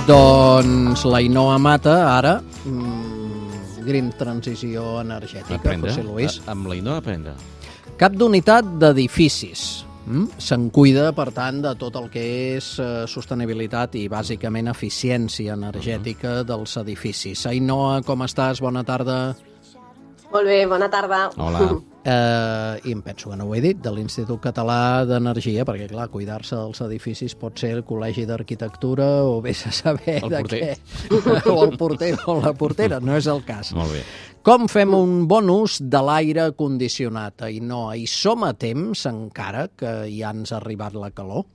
Doncs la Ainhoa Mata, ara, mmm, Green Transició Energètica, Aprendre, José Luis. a- amb la Ainhoa aprendre. Cap d'unitat d'edificis. Mm? Se'n cuida, per tant, de tot el que és eh, sostenibilitat i, bàsicament, eficiència energètica dels edificis. Ainhoa, com estàs? Bona tarda. Molt bé, bona tarda. Hola. Eh, I em penso que no ho he dit, de l'Institut Català d'Energia, perquè, clar, cuidar-se dels edificis pot ser el Col·legi d'Arquitectura o vés a saber El de porter. què. O el porter o la portera, no és el cas. Molt bé. Com fem un bon ús de l'aire condicionat? I no, hi som a temps encara que ja ens ha arribat la calor?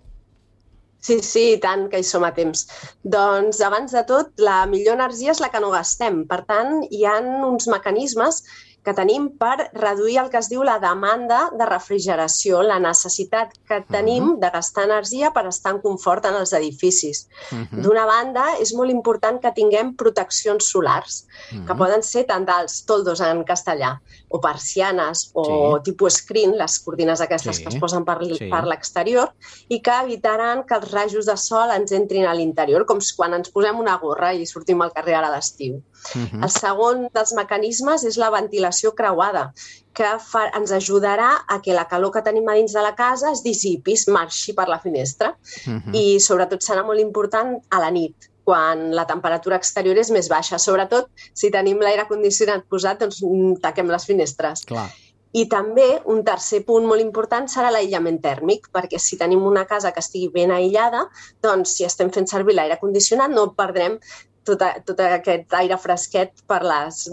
Sí, sí, i tant que hi som a temps. Doncs, abans de tot, la millor energia és la que no gastem. Per tant, hi ha uns mecanismes que tenim per reduir el que es diu la demanda de refrigeració, la necessitat que tenim de gastar energia per estar en confort en els edificis. Uh-huh. D'una banda, és molt important que tinguem proteccions solars, Uh-huh. que poden ser tant dels toldos en castellà, o persianes, o Sí. tipus screen, les cortines aquestes Sí. que es posen per, Sí. per l'exterior, i que evitaran que els rajos de sol ens entrin a l'interior, com quan ens posem una gorra i sortim al carrer ara a l'estiu. Uh-huh. El segon dels mecanismes és la ventilació creuada, que fa, ens ajudarà a que la calor que tenim a dins de la casa es dissipi, es marxi per la finestra. Uh-huh. I sobretot serà molt important a la nit, quan la temperatura exterior és més baixa. Sobretot, si tenim l'aire condicionat posat, doncs taquem les finestres. Clar. I també un tercer punt molt important serà l'aïllament tèrmic, perquè si tenim una casa que estigui ben aïllada, doncs si estem fent servir l'aire condicionat no perdrem tot, a, tot aquest aire fresquet per les,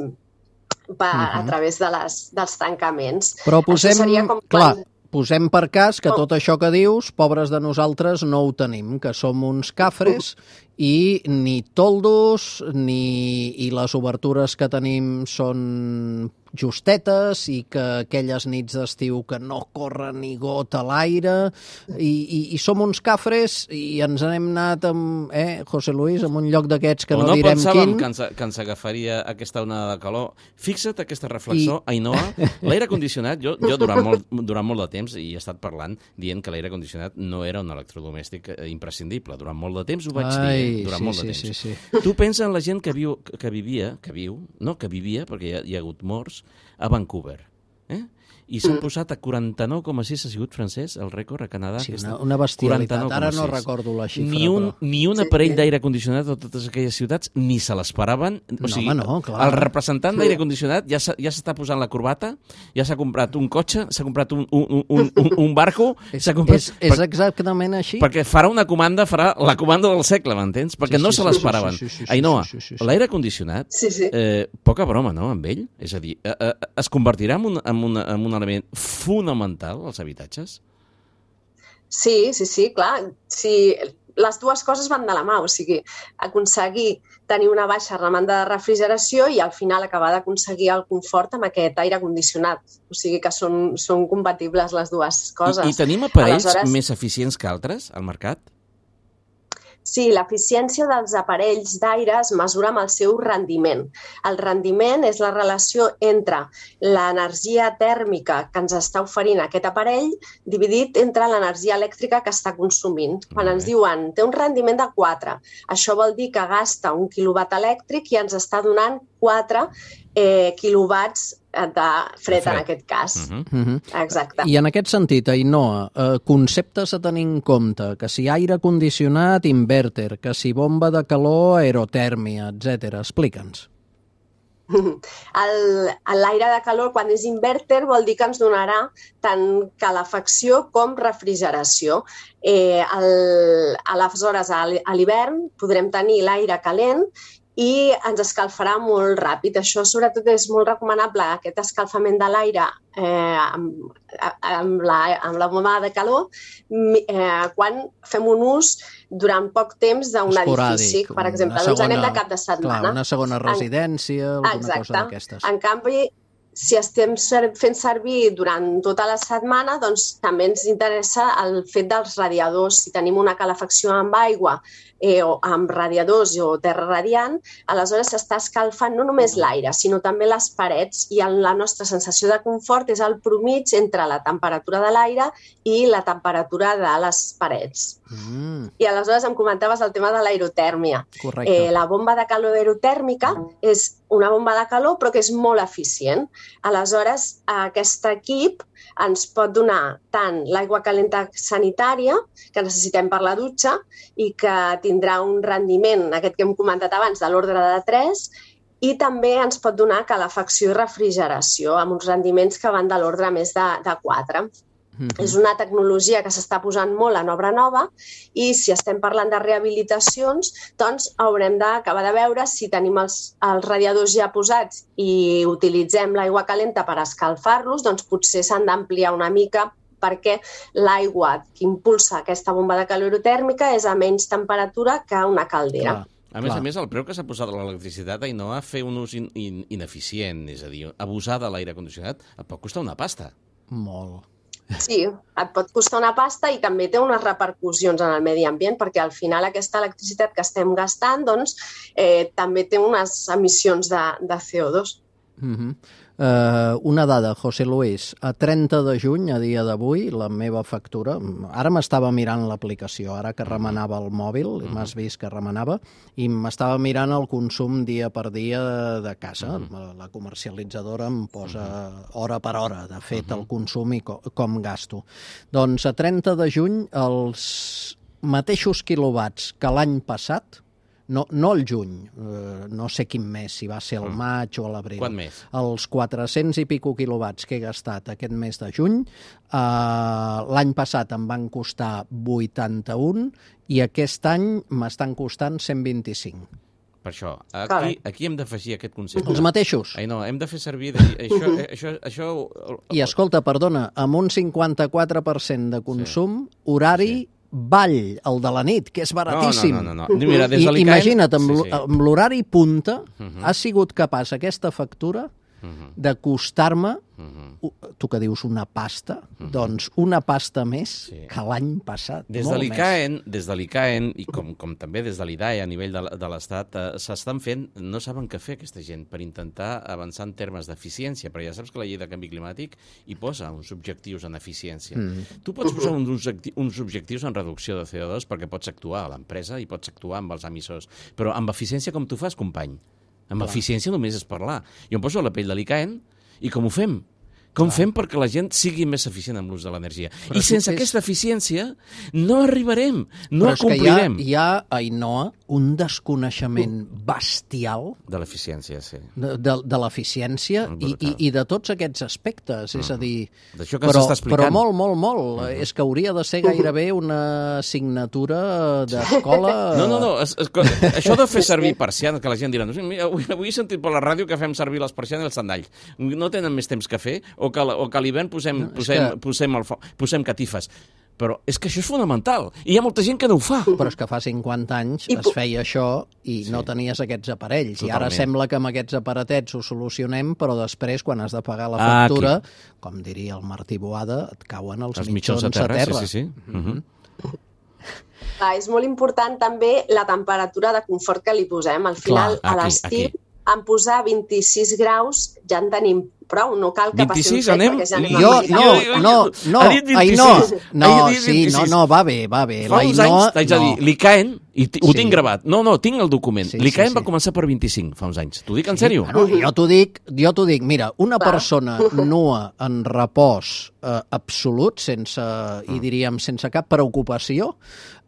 per, Mhm. a través de les, dels tancaments. Però posem, Això seria com clar, quan- posem per cas que Com? tot això que dius, pobres de nosaltres, no ho tenim, que som uns cafres i ni toldos ni i les obertures que tenim són justetes i que aquelles nits d'estiu que no corre ni gota a l'aire i, i, i som uns cafres i ens n'hem anat amb, eh, José Luis, en un lloc d'aquests que o no, no direm pensàvem quin. que ens, que ens agafaria aquesta onada de calor. Fixa't aquesta reflexió, I... Ainhoa. L'aire condicionat, jo, jo durant, molt, durant molt de temps, i he estat parlant, dient que l'aire condicionat no era un electrodomèstic eh, imprescindible. Durant molt de temps ho vaig Ai, dir, eh? durant sí, molt de sí, temps. sí, sí. Tu pensa en la gent que, viu, que vivia, que viu, no, que vivia, perquè hi ha, hi ha hagut morts, a Vancouver. Eh? I s'han posat a quaranta-nou coma sis, ha sigut francès, el rècord a Canadà. Sí, aquesta, una, una bestialitat. quaranta-nou coma Ara no sis. recordo la xifra. Ni un, però... ni un aparell d'aire condicionat a totes aquelles ciutats ni se l'esperaven. O No, sigui, home, no, clar. el representant d'aire condicionat ja s'ha- ja s'està posant la corbata, ja s'ha comprat un cotxe, s'ha comprat un, un, un, un, un barco... És, s'ha comprat, és, és exactament així? perquè farà una comanda, farà la comanda del segle, m'entens? Perquè Sí, no sí, se sí, l'esperaven. sí, sí, sí, sí, Ainhoa, sí, sí, sí. l'aire condicionat, Sí, sí. eh, poca broma, no?, amb ell? És a dir, eh, eh, es convertirà en un, en, una, en un element fonamental als habitatges? Sí, sí, sí, clar. Sí, les dues coses van de la mà, o sigui, aconseguir tenir una baixa demanda de refrigeració i al final acabar d'aconseguir el confort amb aquest aire condicionat. O sigui que són, són compatibles les dues coses. I, I tenim aparells Aleshores... més eficients que altres al mercat? Sí, l'eficiència dels aparells d'aire es mesura amb el seu rendiment. El rendiment és la relació entre l'energia tèrmica que ens està oferint aquest aparell dividit entre l'energia elèctrica que està consumint. Quan ens diuen té un rendiment de quatre, això vol dir que gasta un quilowatt elèctric i ens està donant quatre eh, quilowatts de fred, en aquest cas. Uh -huh. Exacte. I en aquest sentit, Ainhoa, eh, conceptes a tenir en compte, que si aire condicionat, inverter, que si bomba de calor, aerotèrmia, etcètera. Explica'ns. L'aire de calor, quan és inverter, vol dir que ens donarà tant calefacció com refrigeració. Eh, el, aleshores, a l'hivern podrem tenir l'aire calent i ens escalfarà molt ràpid. Això, sobretot, és molt recomanable, aquest escalfament de l'aire eh, amb, amb, la, amb la bomba de calor, eh, quan fem un ús durant poc temps d'un edifici, per exemple. Doncs anem de cap de setmana. Clar, una segona residència, alguna Exacte. cosa d'aquestes. En canvi, si estem fent servir durant tota la setmana, doncs també ens interessa el fet dels radiadors. Si tenim una calefacció amb aigua eh, o amb radiadors o terra radiant, aleshores s'està escalfant no només l'aire, sinó també les parets, i la nostra sensació de confort és el promig entre la temperatura de l'aire i la temperatura de les parets. Mm. I aleshores em comentaves el tema de l'aerotèrmia. Correcte. Eh, la bomba de calor aerotèrmica és una bomba de calor però que és molt eficient. Aleshores, aquest equip ens pot donar tant l'aigua calenta sanitària, que necessitem per la dutxa, i que tindrà un rendiment, aquest que hem comentat abans, de l'ordre de tres, i també ens pot donar calefacció i refrigeració, amb uns rendiments que van de l'ordre més de, de quatre. Mm-hmm. És una tecnologia que s'està posant molt en obra nova, i si estem parlant de rehabilitacions, doncs haurem d'acabar de veure si tenim els, els radiadors ja posats i utilitzem l'aigua calenta per escalfar-los, doncs potser s'han d'ampliar una mica, perquè l'aigua que impulsa aquesta bomba de calor aerotèrmica és a menys temperatura que una caldera. Clar. A més Clar. a més, el preu que s'ha posat a l'electricitat, Ainhoa, fer un ús in, in, ineficient, és a dir, abusar de l'aire condicionat, et pot costar una pasta. Molt. Sí, et pot costar una pasta i també té unes repercussions en el medi ambient, perquè al final aquesta electricitat que estem gastant doncs, eh, també té unes emissions de, de C O dos. Uh-huh. Uh, una dada, José Luis, a trenta de juny, a dia d'avui, la meva factura, ara m'estava mirant l'aplicació, ara que remenava el mòbil, uh-huh. m'has vist que remenava, i m'estava mirant el consum dia per dia de casa. Uh-huh. La comercialitzadora em posa uh-huh. hora per hora, de fet, uh-huh. el consum i com, com gasto. Doncs a trenta de juny, els mateixos quilowatts que l'any passat, No, no el juny, eh, no sé quin mes, si va ser el maig o l'abril. Quant més? Els quatre-cents i pico quilowatts que he gastat aquest mes de juny, eh, l'any passat em van costar vuitanta-un i aquest any m'estan costant cent vint-i-cinc. Per això, aquí, aquí hem d'afegir aquest concepte. Els mateixos. Ai, no, hem de fer servir... De, això, això, això... I escolta, perdona, amb un cinquanta-quatre per cent de consum, sí. horari... Sí. Ball, el de la nit, que és baratíssim. No, no, no. no. Mira, des de I, imagina't, amb, sí, sí. amb l'horari punta, uh-huh. ha sigut capaç aquesta factura uh-huh. de costar-me, uh-huh. tu que dius una pasta, uh-huh. doncs una pasta més sí. que l'any passat. Des de l'ICAEN, des de l'ICAEN i com, com també des de l'I D A E a nivell de, de l'Estat, eh, s'estan fent, no saben què fer aquesta gent per intentar avançar en termes d'eficiència, però ja saps que la llei de canvi climàtic hi posa uns objectius en eficiència. Mm. Tu pots posar uns, objectius, uns objectius en reducció de C O dos perquè pots actuar a l'empresa i pots actuar amb els emissors, però amb eficiència com tu fas, company? Amb Clar. eficiència només és parlar. Jo em poso a la pell de l'ICAEN i com ho fem? Com Clar. fem perquè la gent sigui més eficient amb l'ús de l'energia? I sense és... aquesta eficiència no arribarem, no acomplirem. Però és que hi ha, hi ha, Ainhoa, un desconeixement bestial de l'eficiència, sí. De, de, de l'eficiència i, i, i de tots aquests aspectes, mm. és a dir... D'això que però, s'està explicant. Però molt, molt, molt. Mm. És que hauria de ser gairebé una assignatura d'escola... No, no, no. Es, es, això de fer servir persianes, que la gent dirà, avui, avui he sentit per la ràdio que fem servir les persianes i els sandalls. No tenen més temps que fer? O que, o que a l'hivern posem, no, posem, que... posem, el, posem catifes. Però és que això és fonamental. I hi ha molta gent que no ho fa. Però és que fa cinquanta anys I... es feia això i sí. no tenies aquests aparells. Totalment. I ara sembla que amb aquests aparatets ho solucionem, però després, quan has de pagar la factura, ah, com diria el Martí Boada, et cauen els, els mitjons, mitjons a terra. Sí, sí, sí. Mm-hmm. Clar, és molt important també la temperatura de confort que li posem. Al final, Clar, aquí, a l'estiu, aquí. en posar vint-i-sis graus ja en tenim prou, no cal que passi un vint-i-sis, fred, anem? perquè ja anem Jo, a no, militar. no, no, Ha dit vint-i-sis. Ainhoa, no, Ha dit sí, no, vint-i-sis. no, va bé, va bé. Fa La uns Ainhoa, anys, t'haig de no. dir, l'I C A E N, i t- ho Sí. tinc gravat. No, no, tinc el document. Sí, L'I C A E N sí, va sí. començar per vint-i-cinc, fa uns anys. T'ho dic en sèrio? Bueno, jo t'ho dic, jo t'ho dic. Mira, una Clar. persona nua en repòs eh, absolut, sense, i diríem, sense cap preocupació,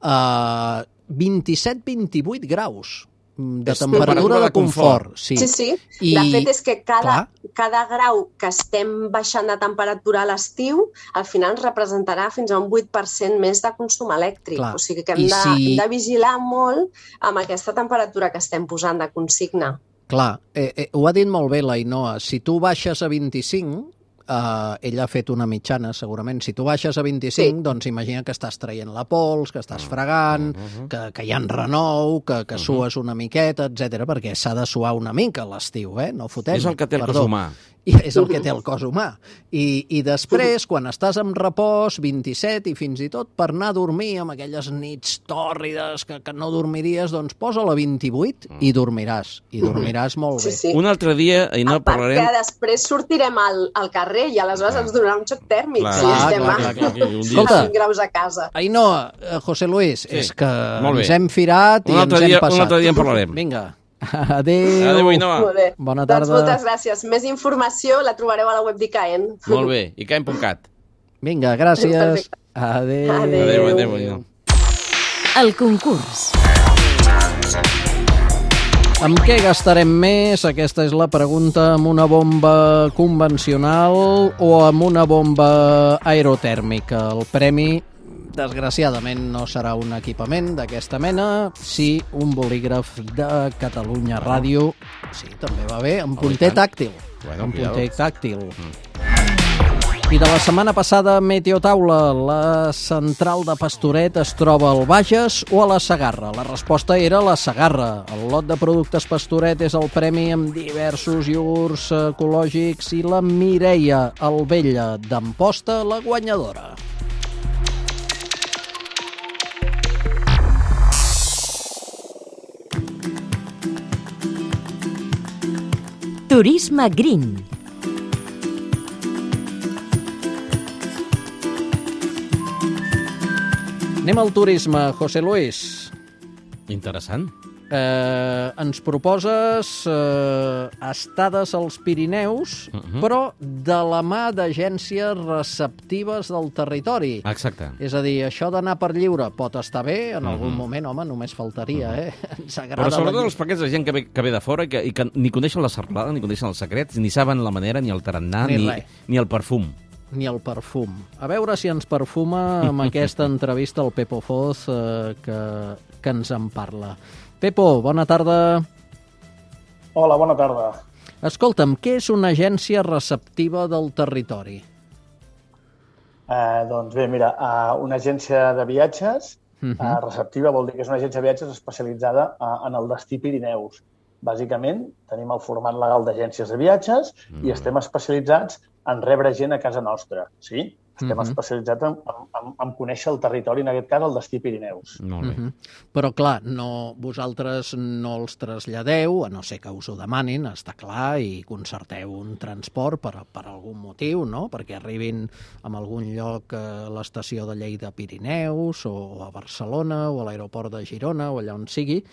eh, vint-i-set vint-i-vuit graus de És temperatura temperatura de de confort. confort. Sí, Sí, sí. I, De fet, és que cada, clar. cada grau que estem baixant de temperatura a l'estiu, al final ens representarà fins a un vuit per cent més de consum elèctric. Clar. O sigui que hem I de, si- hem de vigilar molt amb aquesta temperatura que estem posant de consigna. Clar, eh, eh, ho ha dit molt bé la Ainhoa. Si tu baixes a vint-i-cinc, eh, ella ha fet una mitjana, segurament. Si tu baixes a vint-i-cinc, Sí. doncs imagina que estàs traient la pols, que estàs fregant, que, que hi ha renou, que, que sues una miqueta, etcètera, perquè s'ha de suar una mica a l'estiu, eh? No fotem. És el que té el cos perdó. humà. I és el que té el cos humà. I, I després, quan estàs en repòs, vint-i-set, i fins i tot per anar a dormir amb aquelles nits tòrrides que, que no dormiries, doncs posa-la a vint-i-vuit i dormiràs. I dormiràs molt bé. Sí, sí. Un altre dia, Ainhoa, A part parlarem... que després sortirem al, al carrer i aleshores ens donarà un xoc tèrmic Clar, si clar, estem clar, a, clar, clar, clar. Un dia- Escolta. a vint graus a casa. Ainhoa, eh, José Luis, Sí, és que molt bé. ens hem firat i Un altre ens dia- hem passat. un altre dia en parlarem. Vinga. Adéu. Adéu, Ainhoa. Molt bé. Bona Doncs tarda. moltes gràcies. Més informació la trobareu a la web d'I C A E N. Molt bé, i caem punt cat. Vinga, gràcies. Perfecte. Adéu. Adéu. Adéu, adéu, Ainhoa. El concurs. Amb què gastarem més? Aquesta és la pregunta. Amb una bomba convencional o amb una bomba aerotèrmica? El premi, desgraciadament, no serà un equipament d'aquesta mena, sí un bolígraf de Catalunya Ràdio. Sí, també va bé, amb Oh, i punter tant. tàctil. Bueno, amb cuidado. punter tàctil. I de la setmana passada, Meteotaula, la central de Pastoret es troba al Bages o a la Segarra? La resposta era la Segarra. El lot de productes Pastoret és el premi amb diversos iogurts ecològics i la Mireia Albella d'Amposta, la guanyadora. Turisme Green. Anem al turisme, José Luis. Interessant. Eh, ens proposes eh, estades als Pirineus, Uh -huh. però de la mà d'agències receptives del territori. Exacte. És a dir, això d'anar per lliure pot estar bé, en algun moment, home, només faltaria, eh? Ens agrada Però sobretot la... els paquets de gent que ve, que ve de fora i que, i que ni coneixen la serralada, ni coneixen els secrets, ni saben la manera, ni el tarannà, Ni ni, res. ni el perfum. Ni el perfum. A veure si ens perfuma amb aquesta entrevista al Pepo Foz eh, que, que ens en parla. Pepo, bona tarda. Hola, bona tarda. Escolta'm, què és una agència receptiva del territori? Eh, doncs bé, mira, uh, una agència de viatges Uh uh, -huh. receptiva vol dir que és una agència de viatges especialitzada uh, en el destí Pirineus. Bàsicament, tenim el format legal d'agències de viatges Mm. i estem especialitzats en rebre gent a casa nostra, sí? Estem Mhm. especialitzats en, en, en conèixer el territori, en aquest cas el destí Pirineus. Molt bé. Uh -huh. Però, clar, no, vosaltres no els traslladeu, a no ser que us ho demanin, està clar, i concerteu un transport per, per algun motiu, no? Perquè arribin a algun lloc a l'estació de Lleida Pirineus, o a Barcelona, o a l'aeroport de Girona, o allà on sigui,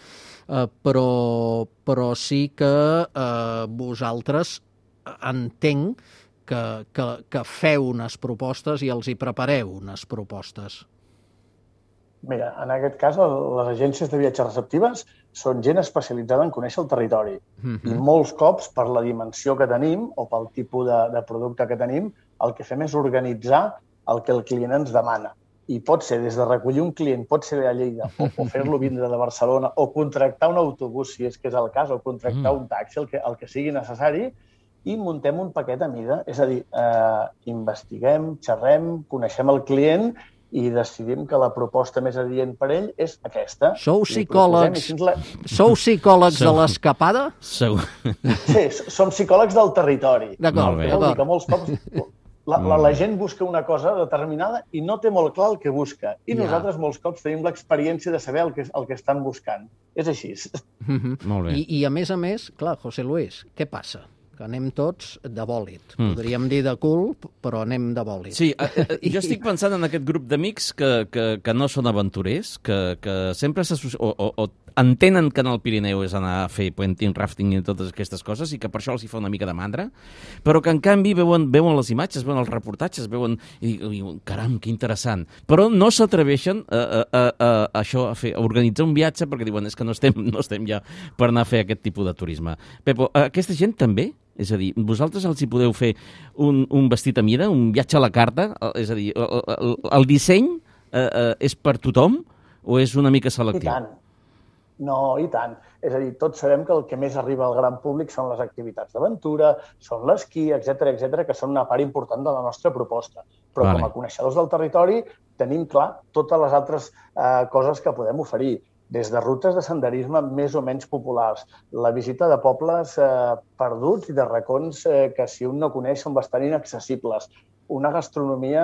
eh, però, però sí que eh, vosaltres entenc que, que, que feu unes propostes i els hi prepareu unes propostes. Mira, en aquest cas, el- les agències de viatges receptives són gent especialitzada en conèixer el territori. Uh I molts cops, per la dimensió que tenim o pel tipus de, de producte que tenim, el que fem és organitzar el que el client ens demana. I pot ser des de recollir un client, pot ser a Lleida, o, o fer-lo vindre de Barcelona, o contractar un autobús, si és que és el cas, o contractar Mm. un taxi, el que, el que sigui necessari, i muntem un paquet a mida. És a dir, eh, investiguem, xerrem, coneixem el client i decidim que la proposta més adient per ell és aquesta. Sou Li psicòlegs. proposem i així ens la... Sou psicòlegs de Sou- l'escapada? Segur. Sí, som psicòlegs del territori. D'acord, Molt bé. Vol dir que d'acord. molts cops La, la, la gent busca una cosa determinada i no té molt clar el que busca. I ja. nosaltres molts cops tenim l'experiència de saber el que, el que estan buscant. És així. Mm-hmm. Molt bé. I, I a més a més, clar, José Luis, què passa? Que anem tots de bòlit. Mm. Podríem dir de cul, però anem de bòlit. Sí, eh, jo estic pensant en aquest grup d'amics que, que, que no són aventurers, que, que sempre s'associen, o, o, o entenen que en el Pirineu és anar a fer puenting, rafting i totes aquestes coses, i que per això els hi fa una mica de mandra, però que en canvi veuen, veuen les imatges, veuen els reportatges, veuen i diuen, caram, que interessant. Però no s'atreveixen a, a, a, a, a això, a, fer, a organitzar un viatge, perquè diuen, és que no estem, no estem ja per anar a fer aquest tipus de turisme. Pepo, aquesta gent també? És a dir, vosaltres els hi podeu fer un, un vestit a mida, un viatge a la carta? És a dir, el, el, el disseny eh, eh, és per tothom o és una mica selectiu? I tant. No, i tant. És a dir, tots sabem que el que més arriba al gran públic són les activitats d'aventura, són l'esquí, etcètera, etcètera, que són una part important de la nostra proposta. Però vale. Com a coneixedors del territori tenim clar totes les altres eh, coses que podem oferir. Des de rutes de senderisme més o menys populars, la visita de pobles eh, perduts i de racons eh, que si un no coneix són bastant inaccessibles, una gastronomia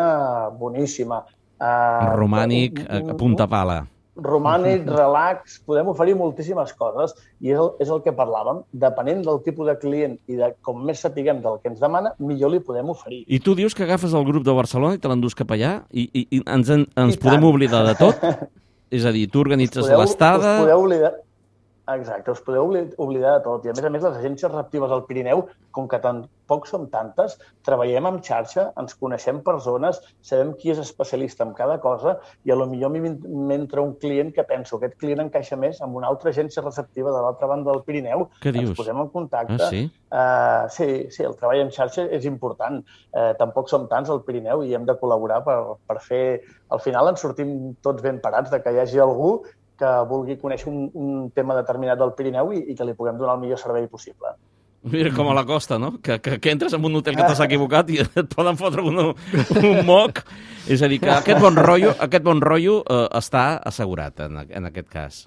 boníssima. Eh, Romànic, un, un, a punta pala. Romànic, relax, podem oferir moltíssimes coses i és el, és el que parlàvem. Depenent del tipus de client i de com més sapiguem del que ens demana, millor li podem oferir. I tu dius que agafes el grup de Barcelona i te l'endús cap allà i, i, i ens, en, ens I podem tant. oblidar de tot? És a dir, tu organitzes l'estada... Us podeu oblidar... Exacte, us podeu oblidar de tot. I a més a més, les agències receptives al Pirineu, com que tampoc som tantes, treballem en xarxa, ens coneixem persones, sabem qui és especialista en cada cosa i a lo millor m'entra un client que penso que aquest client encaixa més amb una altra agència receptiva de l'altra banda del Pirineu. Què dius? Ens posem en contacte. Ah, sí? Uh, sí, sí, el treball en xarxa és important. Uh, tampoc som tants al Pirineu i hem de col·laborar per, per fer... Al final ens sortim tots ben parats de que hi hagi algú que vulgui conèixer un, un tema determinat del Pirineu i, i que li puguem donar el millor servei possible. Mira, com a la costa, no? Que, que, que entres en un hotel que t'has equivocat i et poden fotre un, un moc. És a dir, que aquest bon rotllo, aquest bon rotllo eh, està assegurat en, en aquest cas.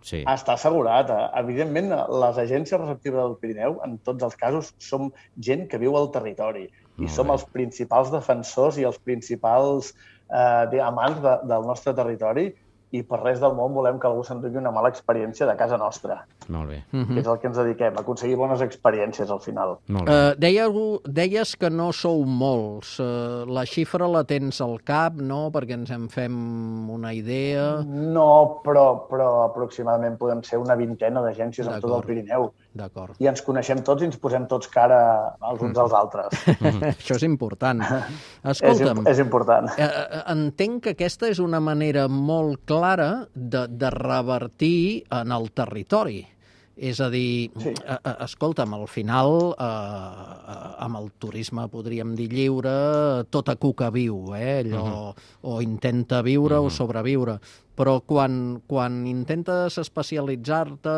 Sí. Està assegurat. Evidentment, les agències receptives del Pirineu, en tots els casos, som gent que viu al territori i som els principals defensors i els principals eh, amants de, del nostre territori i per res del món volem que algú s'endugui una mala experiència de casa nostra. Molt bé. Que és el que ens dediquem, a aconseguir bones experiències al final. Molt bé. Uh, deia algú, deies que no sou molts. Uh, la xifra la tens al cap, no?, perquè ens en fem una idea. No, però, però aproximadament podem ser una vintena d'agències en tot el Pirineu. D'acord. I ens coneixem tots i ens posem tots cara als uns als altres. Això és important. Escolta'm, és, és important. Eh, entenc que aquesta és una manera molt clara de, de revertir en el territori. És a dir, sí. eh, escolta'm, al final, eh, amb el turisme, podríem dir lliure, tota cuca viu, eh? Allò, uh-huh. o intenta viure uh-huh. o sobreviure. Però quan, quan intentes especialitzar-te,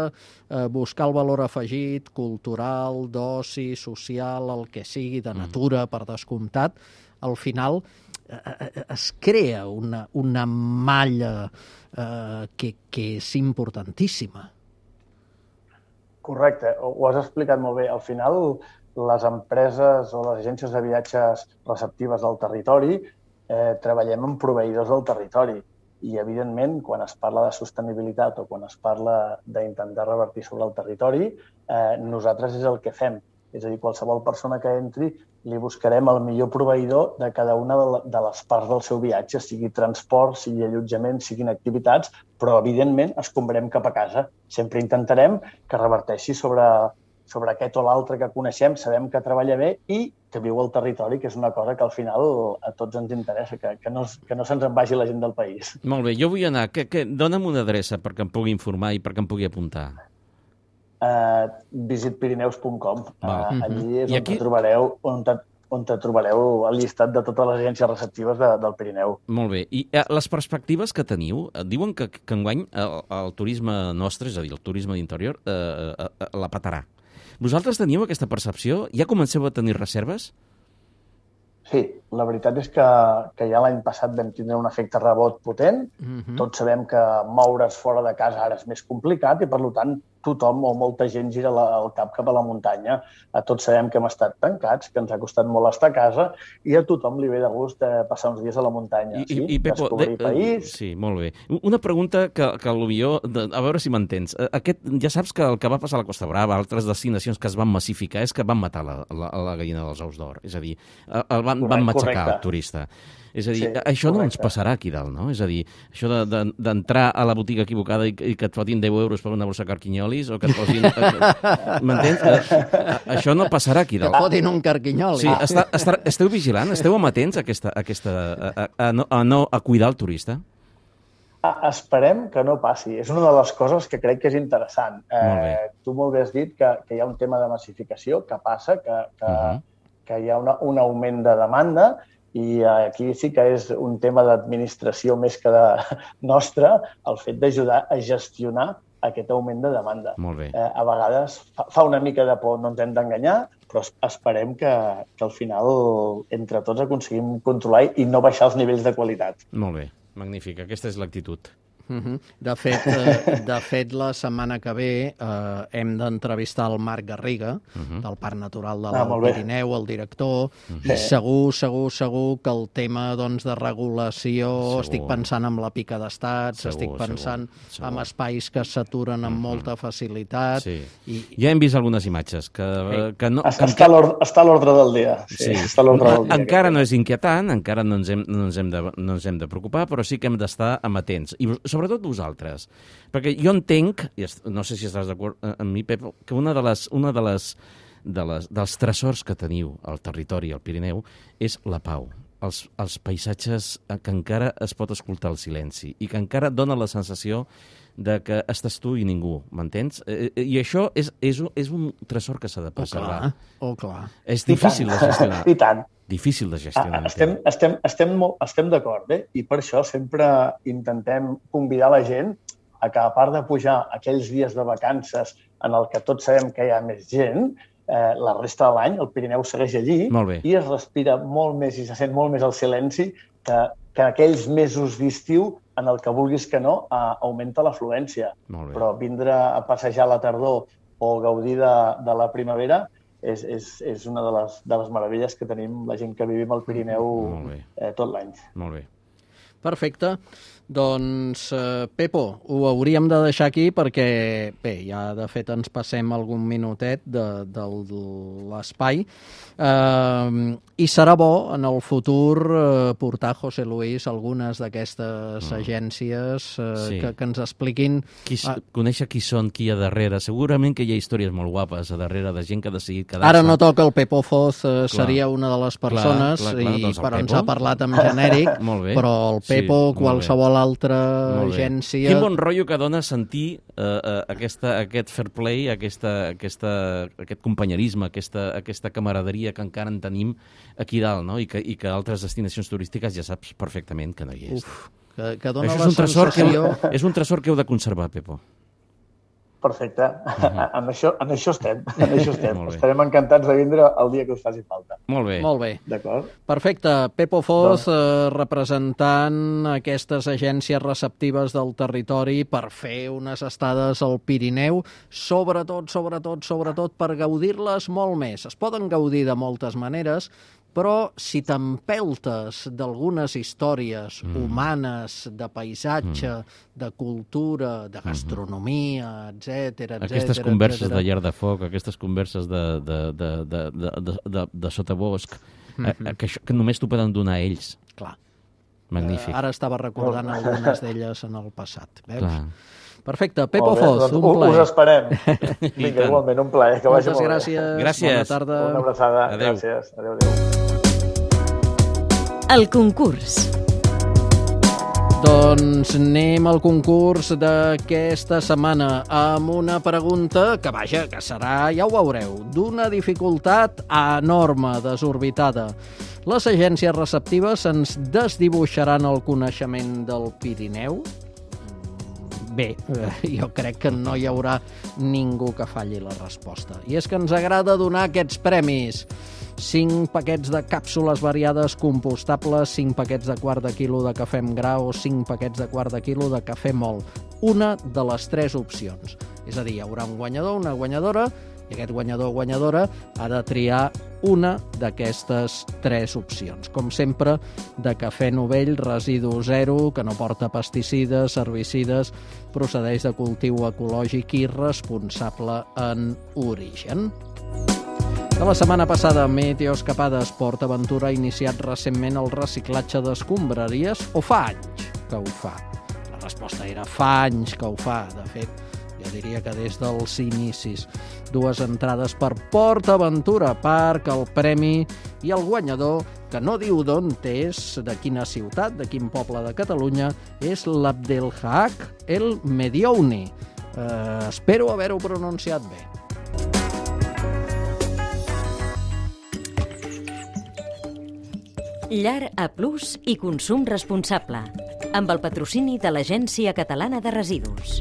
eh, buscar el valor afegit, cultural, d'oci, social, el que sigui, de natura, uh-huh. per descomptat, al final eh, es crea una, una malla eh, que, que és importantíssima. Correcte, ho has explicat molt bé. Al final, les empreses o les agències de viatges receptives del territori eh, treballem amb proveïdors del territori i, evidentment, quan es parla de sostenibilitat o quan es parla d'intentar revertir sobre el territori, eh, nosaltres és el que fem. És a dir, qualsevol persona que entri li buscarem el millor proveïdor de cada una de les parts del seu viatge, sigui transport, sigui allotjament, siguin activitats, però, evidentment, escombrem cap a casa. Sempre intentarem que reverteixi sobre, sobre aquest o l'altre que coneixem, sabem que treballa bé i que viu al territori, que és una cosa que al final a tots ens interessa, que, que, no, que no se'ns en vagi la gent del país. Molt bé, jo vull anar. Que, que, dona'm una adreça perquè em pugui informar i perquè em pugui apuntar. Uh, visit pirineus punt com. Uh, allí és on aquí... te trobareu on te, on te trobareu el llistat de totes les agències receptives de, del Pirineu. Molt bé. I uh, les perspectives que teniu, uh, diuen que, que enguany el, el turisme nostre, és a dir, el turisme d'interior, uh, uh, uh, la petarà. Vosaltres teniu aquesta percepció? Ja comenceu a tenir reserves? Sí, la veritat és que, que ja l'any passat vam tindre un efecte rebot potent. Uh-huh. Tots sabem que moure's fora de casa ara és més complicat i, per tant, tothom o molta gent gira la, el cap cap a la muntanya. A tots sabem que hem estat tancats, que ens ha costat molt estar a casa i a tothom li ve de gust de passar uns dies a la muntanya. I, sí? i, i Pepo, descobrir de, país... Sí, molt bé. Una pregunta que, que potser, a veure si m'entens. Aquest, ja saps que el que va passar a la Costa Brava, altres destinacions que es van massificar, és que van matar la, la, la gallina dels ous d'or. És a dir, el van, correcte, van matxacar correcte. El turista. És a dir, sí, això no correcte. Ens passarà aquí dalt, no? És a dir, això d'entrar de, de, a la botiga equivocada i, i que et fotin deu euros per una bossa carquinyolis o que et posin... M'entens? Això no passarà aquí dalt. Que fotin un carquinyoli. Sí, està, està, esteu vigilant? Esteu amatents a, aquesta, a, aquesta, a, a, a, no, a, no, a cuidar el turista? Esperem que no passi. És una de les coses que crec que és interessant. Eh, tu molt bé has dit que, que hi ha un tema de massificació, que passa, que, que, uh-huh. que hi ha una, un augment de demanda i aquí sí que és un tema d'administració més que de nostre, el fet d'ajudar a gestionar aquest augment de demanda. Molt bé. Eh, a vegades fa, fa una mica de por, no ens hem d'enganyar, però esperem que, que al final entre tots aconseguim controlar i no baixar els nivells de qualitat. Molt bé. Magnífic, aquesta és l'actitud. Uh-huh. De fet, eh, de fet, la setmana que ve eh, hem d'entrevistar el Marc Garriga, uh-huh. del Parc Natural de l'Alt ah, Pirineu, el director, uh-huh. i segur, segur, segur que el tema doncs, de regulació, segur. Estic pensant en la pica d'estats, segur, estic pensant segur, segur. en espais que s'aturen amb uh-huh. molta facilitat. Sí. I... Ja hem vist algunes imatges. Que, sí. que no, que està, està a l'ordre del dia. Sí, sí. Està a l'ordre del dia. Encara no és inquietant, encara no ens hem, no ens hem, de, no ens hem de preocupar, però sí que hem d'estar amatents. I sobretot vosaltres. Perquè jo entenc, i no sé si estàs d'acord amb mi, Pep, que una de les, una de les, de les dels tresors que teniu al territori, al Pirineu, és la pau. Els, els paisatges que encara es pot escoltar el silenci i que encara dona la sensació de que estàs tu i ningú, m'entens? I això és, és, és un tresor que s'ha de preservar. Oh, clar, oh, clar. És difícil de gestionar. I tant. Difícil de gestionar. Estem, estem, estem, estem d'acord, eh? I per això sempre intentem convidar la gent a que, a part de pujar aquells dies de vacances en el que tots sabem que hi ha més gent, eh, la resta de l'any el Pirineu segueix allí i es respira molt més i se sent molt més el silenci que, que aquells mesos d'estiu en el que vulguis que no eh, augmenta l'afluència. Però vindre a passejar a la tardor o gaudir de, de la primavera És, és, és una de les, de les meravelles que tenim la gent que vivim al Pirineu eh, tot l'any. Molt bé. Perfecte. Doncs, eh, Pepo, ho hauríem de deixar aquí perquè, bé, ja de fet ens passem algun minutet de, de, de l'espai. Eh, I serà bo en el futur eh, portar a José Luis algunes d'aquestes mm. agències eh, sí. que, que ens expliquin... Qui, ah, conèixer qui són, qui hi ha darrere. Segurament que hi ha històries molt guapes a darrere de gent que ha decidit quedar-se. Ara no toca el Pepo Foz, eh, seria una de les persones, clar, clar, clar, i, doncs però ens ha parlat amb genèric, però el Pepo, sí, qualsevol altra agència... Quin bon rotllo que dona sentir uh, uh, aquesta, aquest fair play, aquesta, aquesta, aquest companyerisme, aquesta, aquesta camaraderia que encara en tenim aquí dalt, no? I que, i que altres destinacions turístiques ja saps perfectament que no hi és. Uf, que, que dona Això la és un tresor sensació... Que heu, és un tresor que heu de conservar, Pepo. Perfecte. Uh-huh. en, això, en això estem. En això estem. Estarem encantats de vindre el dia que us faci falta. Molt bé. Molt bé. D'acord. Perfecte. Pepo Foz, doncs... eh, representant aquestes agències receptives del territori per fer unes estades al Pirineu, sobretot, sobretot, sobretot per gaudir-les molt més. Es poden gaudir de moltes maneres, però si t'empeltes d'algunes històries mm. humanes, de paisatge, mm. de cultura, de gastronomia, etcètera, etcètera... Aquestes converses etcètera. de llar de foc, aquestes converses de, de, de, de, de, de, de, de sotabosc, mm-hmm. que, això, que només t'ho poden donar ells. Clar. Magnífic. Uh, ara estava recordant algunes d'elles en el passat, veus? Clar. Perfecte. Pepo Foz, doncs, un plaer. Us esperem. Vinga, igualment, un plaer. Que vagi Moltes molt gràcies. bé. Gràcies. Bona tarda. Una abraçada. Adéu. Gràcies. Adéu, adéu. El concurs. Doncs anem al concurs d'aquesta setmana amb una pregunta que, vaja, que serà, ja ho veureu, d'una dificultat enorme, desorbitada. Les agències receptives ens desdibuixaran el coneixement del Pirineu? Bé, jo crec que no hi haurà ningú que falli la resposta. I és que ens agrada donar aquests premis. cinc paquets de càpsules variades compostables, cinc paquets de quart de quilo de cafè amb gra o cinc paquets de quart de quilo de cafè mòlt. Una de les tres opcions. És a dir, hi haurà un guanyador, una guanyadora, i aquest guanyador o guanyadora ha de triar una d'aquestes tres opcions. Com sempre, de cafè novell, residu zero, que no porta pesticides, herbicides, procedeix de cultiu ecològic i responsable en origen. De la setmana passada, Meteoescapades PortAventura ha iniciat recentment el reciclatge d'escombraries o fa anys que ho fa? La resposta era fa anys que ho fa, de fet, jo diria que des dels inicis. Dues entrades per PortAventura Park, el premi i el guanyador, que no diu d'on és, de quina ciutat, de quin poble de Catalunya, és l'Abdelhak El Mediouni. Eh, espero haver-ho pronunciat bé. Llar A Plus i consum responsable, amb el patrocini de l'Agència Catalana de Residus.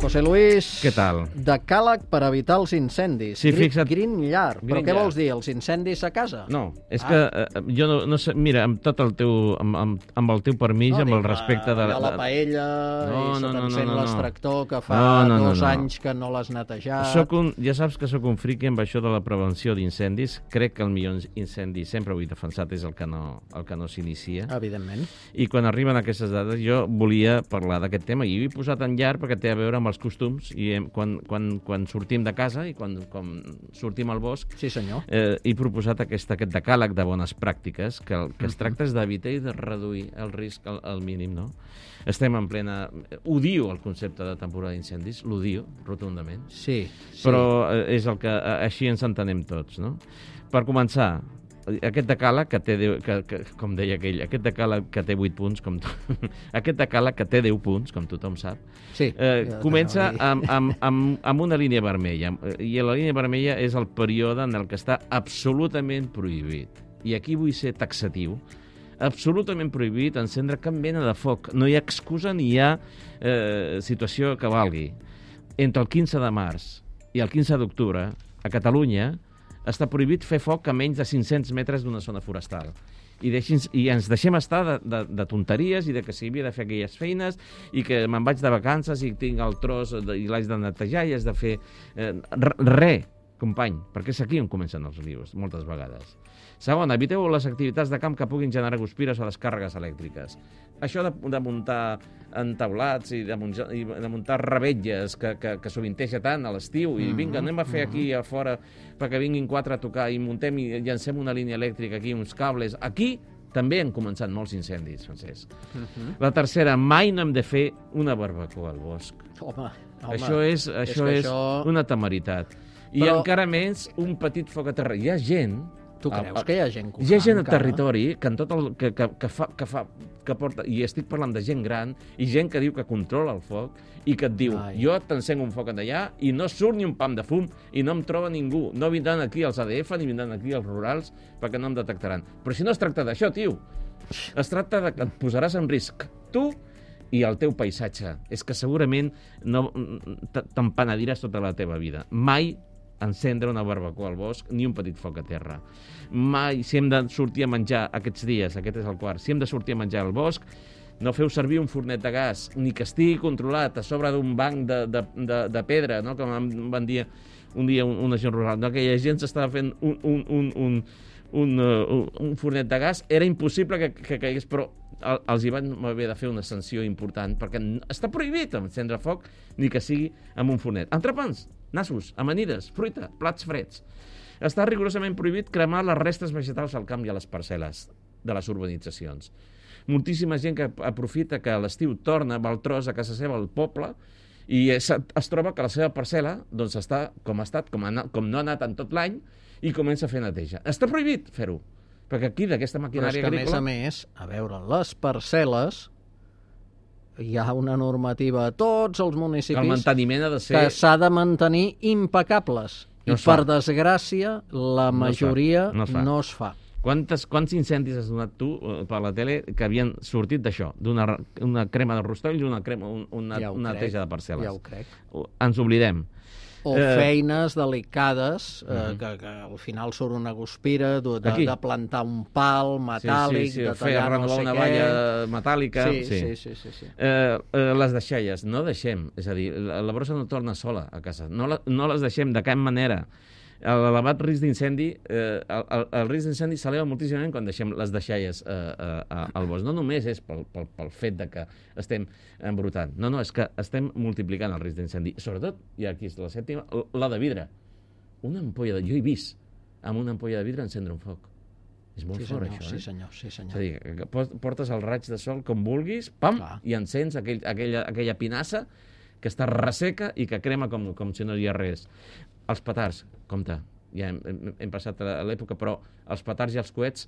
José Luis, què tal? Decàleg per evitar els incendis. Sí, fixa't. Green Llar. Però Green què Llar. vols dir, els incendis a casa? No, és Ah. que eh, jo no, no sé... Mira, amb tot el teu, amb, amb, amb el teu permís, No, amb dic, el respecte de... allò, la paella No, i se no, no, t'encén no, no, no. l'extractor que fa No, no, no, dos no. anys que no l'has netejat. Soc un, ja saps que sóc un friqui amb això de la prevenció d'incendis. Crec que el millor incendi, sempre ho he defensat, és el que no, el que no s'inicia. Evidentment. I quan arriben aquestes dades, jo volia parlar d'aquest tema i ho he posat en llar perquè té a veure amb els costums i hem, quan, quan, quan sortim de casa i quan, quan sortim al bosc, Sí, senyor. eh, he proposat aquest, aquest decàleg de bones pràctiques que el que es tracta és d'evitar i de reduir el risc al, al mínim, no? Estem en plena... Odio el concepte de temporada d'incendis, l'odio rotundament, Sí, sí. però eh, és el que eh, així ens entenem tots, no? Per començar, aquest decàleg que té, deu, que, que, com deia aquell, aquest decàleg que té vuit punts, com to... aquest decàleg que té deu punts, com tothom sap, Sí, eh, ja comença t'anava a amb, amb, amb, amb una línia vermella, i la línia vermella és el període en el que està absolutament prohibit. I aquí vull ser taxatiu. Absolutament prohibit encendre cap mena de foc. No hi ha excusa ni hi ha eh, situació que valgui. Entre el quinze de març i el quinze d'octubre, a Catalunya, està prohibit fer foc a menys de cinc-cents metres d'una zona forestal. I, deixin, i ens deixem estar de, de, de tonteries i de que si havia de fer aquelles feines i que me'n vaig de vacances i tinc el tros de, i l'haig de netejar i has de fer... Eh, Res, company, perquè és aquí on comencen els rius, moltes vegades. Segon, eviteu les activitats de camp que puguin generar guspires o descàrregues elèctriques. Això de, de muntar entaulats i de, muntar, i de muntar revetlles que, que, que sovinteja tant a l'estiu i vinga, anem a fer aquí a fora perquè vinguin quatre a tocar i muntem i llancem una línia elèctrica aquí, uns cables. Aquí també han començat molts incendis, Francesc. Uh-huh. La tercera, mai no hem de fer una barbacoa al bosc. Home, home, això és, això és, és això... una temeritat. I Però... encara més, un petit foc a terra. Hi ha gent... Tu creus que hi ha gent que ho Hi ha fa gent al encara? territori que, en tot el, que, que, que, fa, que, fa, que porta... I estic parlant de gent gran i gent que diu que controla el foc i que et diu, Ai. jo t'encenc un foc allà i no surt ni un pam de fum i no em troba ningú. No vindran aquí els A D F ni vindran aquí els rurals perquè no em detectaran. Però si no es tracta d'això, tio. Es tracta de que et posaràs en risc tu i el teu paisatge. És que segurament no te'n penediràs tota la teva vida. Mai encendre una barbacoa al bosc, ni un petit foc a terra. Mai, si hem de sortir a menjar aquests dies, aquest és el quart, si hem de sortir a menjar al bosc, no feu servir un fornet de gas, ni que estigui controlat a sobre d'un banc de, de, de, de pedra, no? Com em van dir un dia una gent rural, no? Que la gent s'estava fent un, un, un, un, un, uh, un fornet de gas, era impossible que, que caigués, però els hi van haver de fer una sanció important, perquè està prohibit encendre foc, ni que sigui amb un fornet. Entrepans, nassos, amanides, fruita, plats freds. Està rigorosament prohibit cremar les restes vegetals al camp i a les parcel·les de les urbanitzacions. Moltíssima gent que aprofita que a l'estiu torna amb el tros a casa seva al poble i es, es troba que la seva parcel·la doncs, està com ha estat, com, ha, com no ha anat en tot l'any i comença a fer neteja. Està prohibit fer-ho, perquè aquí d'aquesta maquinària agrícola... Però és que, agrícola... a més a més, a veure, les parcel·les hi ha una normativa a tots els municipis el manteniment ha de ser... que s'ha de mantenir impecables. No I, es fa. per desgràcia, la No es fa. majoria No es fa. no es fa. Quantes, quants incendis has donat tu eh, per la tele que havien sortit d'això? D'una una crema de rostoll i una, crema, un, una, Ja ho una crec, neteja de parcel·les. ja ho crec. Ens oblidem. O feines delicades, eh, uh-huh. que, que al final surt una guspira de, de, de plantar un pal metàl·lic, sí, sí, sí, de tallar no sé una què... valla metàl·lica... Sí, sí, sí. sí, sí, sí. Eh, eh, les deixalles, no deixem. És a dir, la, la brossa no torna sola a casa. No, la, no les deixem de cap manera. L'elevat risc d'incendi, eh, el, el, el risc d'incendi s'eleva moltíssimament quan deixem les deixalles eh, eh, al bosc. No només és pel, pel, pel fet de que estem embrutant. No, no, és que estem multiplicant el risc d'incendi. Sobretot, i aquí és la sèptima, la de vidre. Una ampolla de... Jo he vist amb una ampolla de vidre encendre un foc. És molt sí, fort, senyor, això, sí, eh? senyor, sí, senyor. És a dir, que portes el raig de sol com vulguis, pam, Clar. i encens aquell, aquella, aquella pinassa que està resseca i que crema com, com si no hi ha res. Els petards, compte, ja hem, hem, hem passat a l'època, però els petards i els coets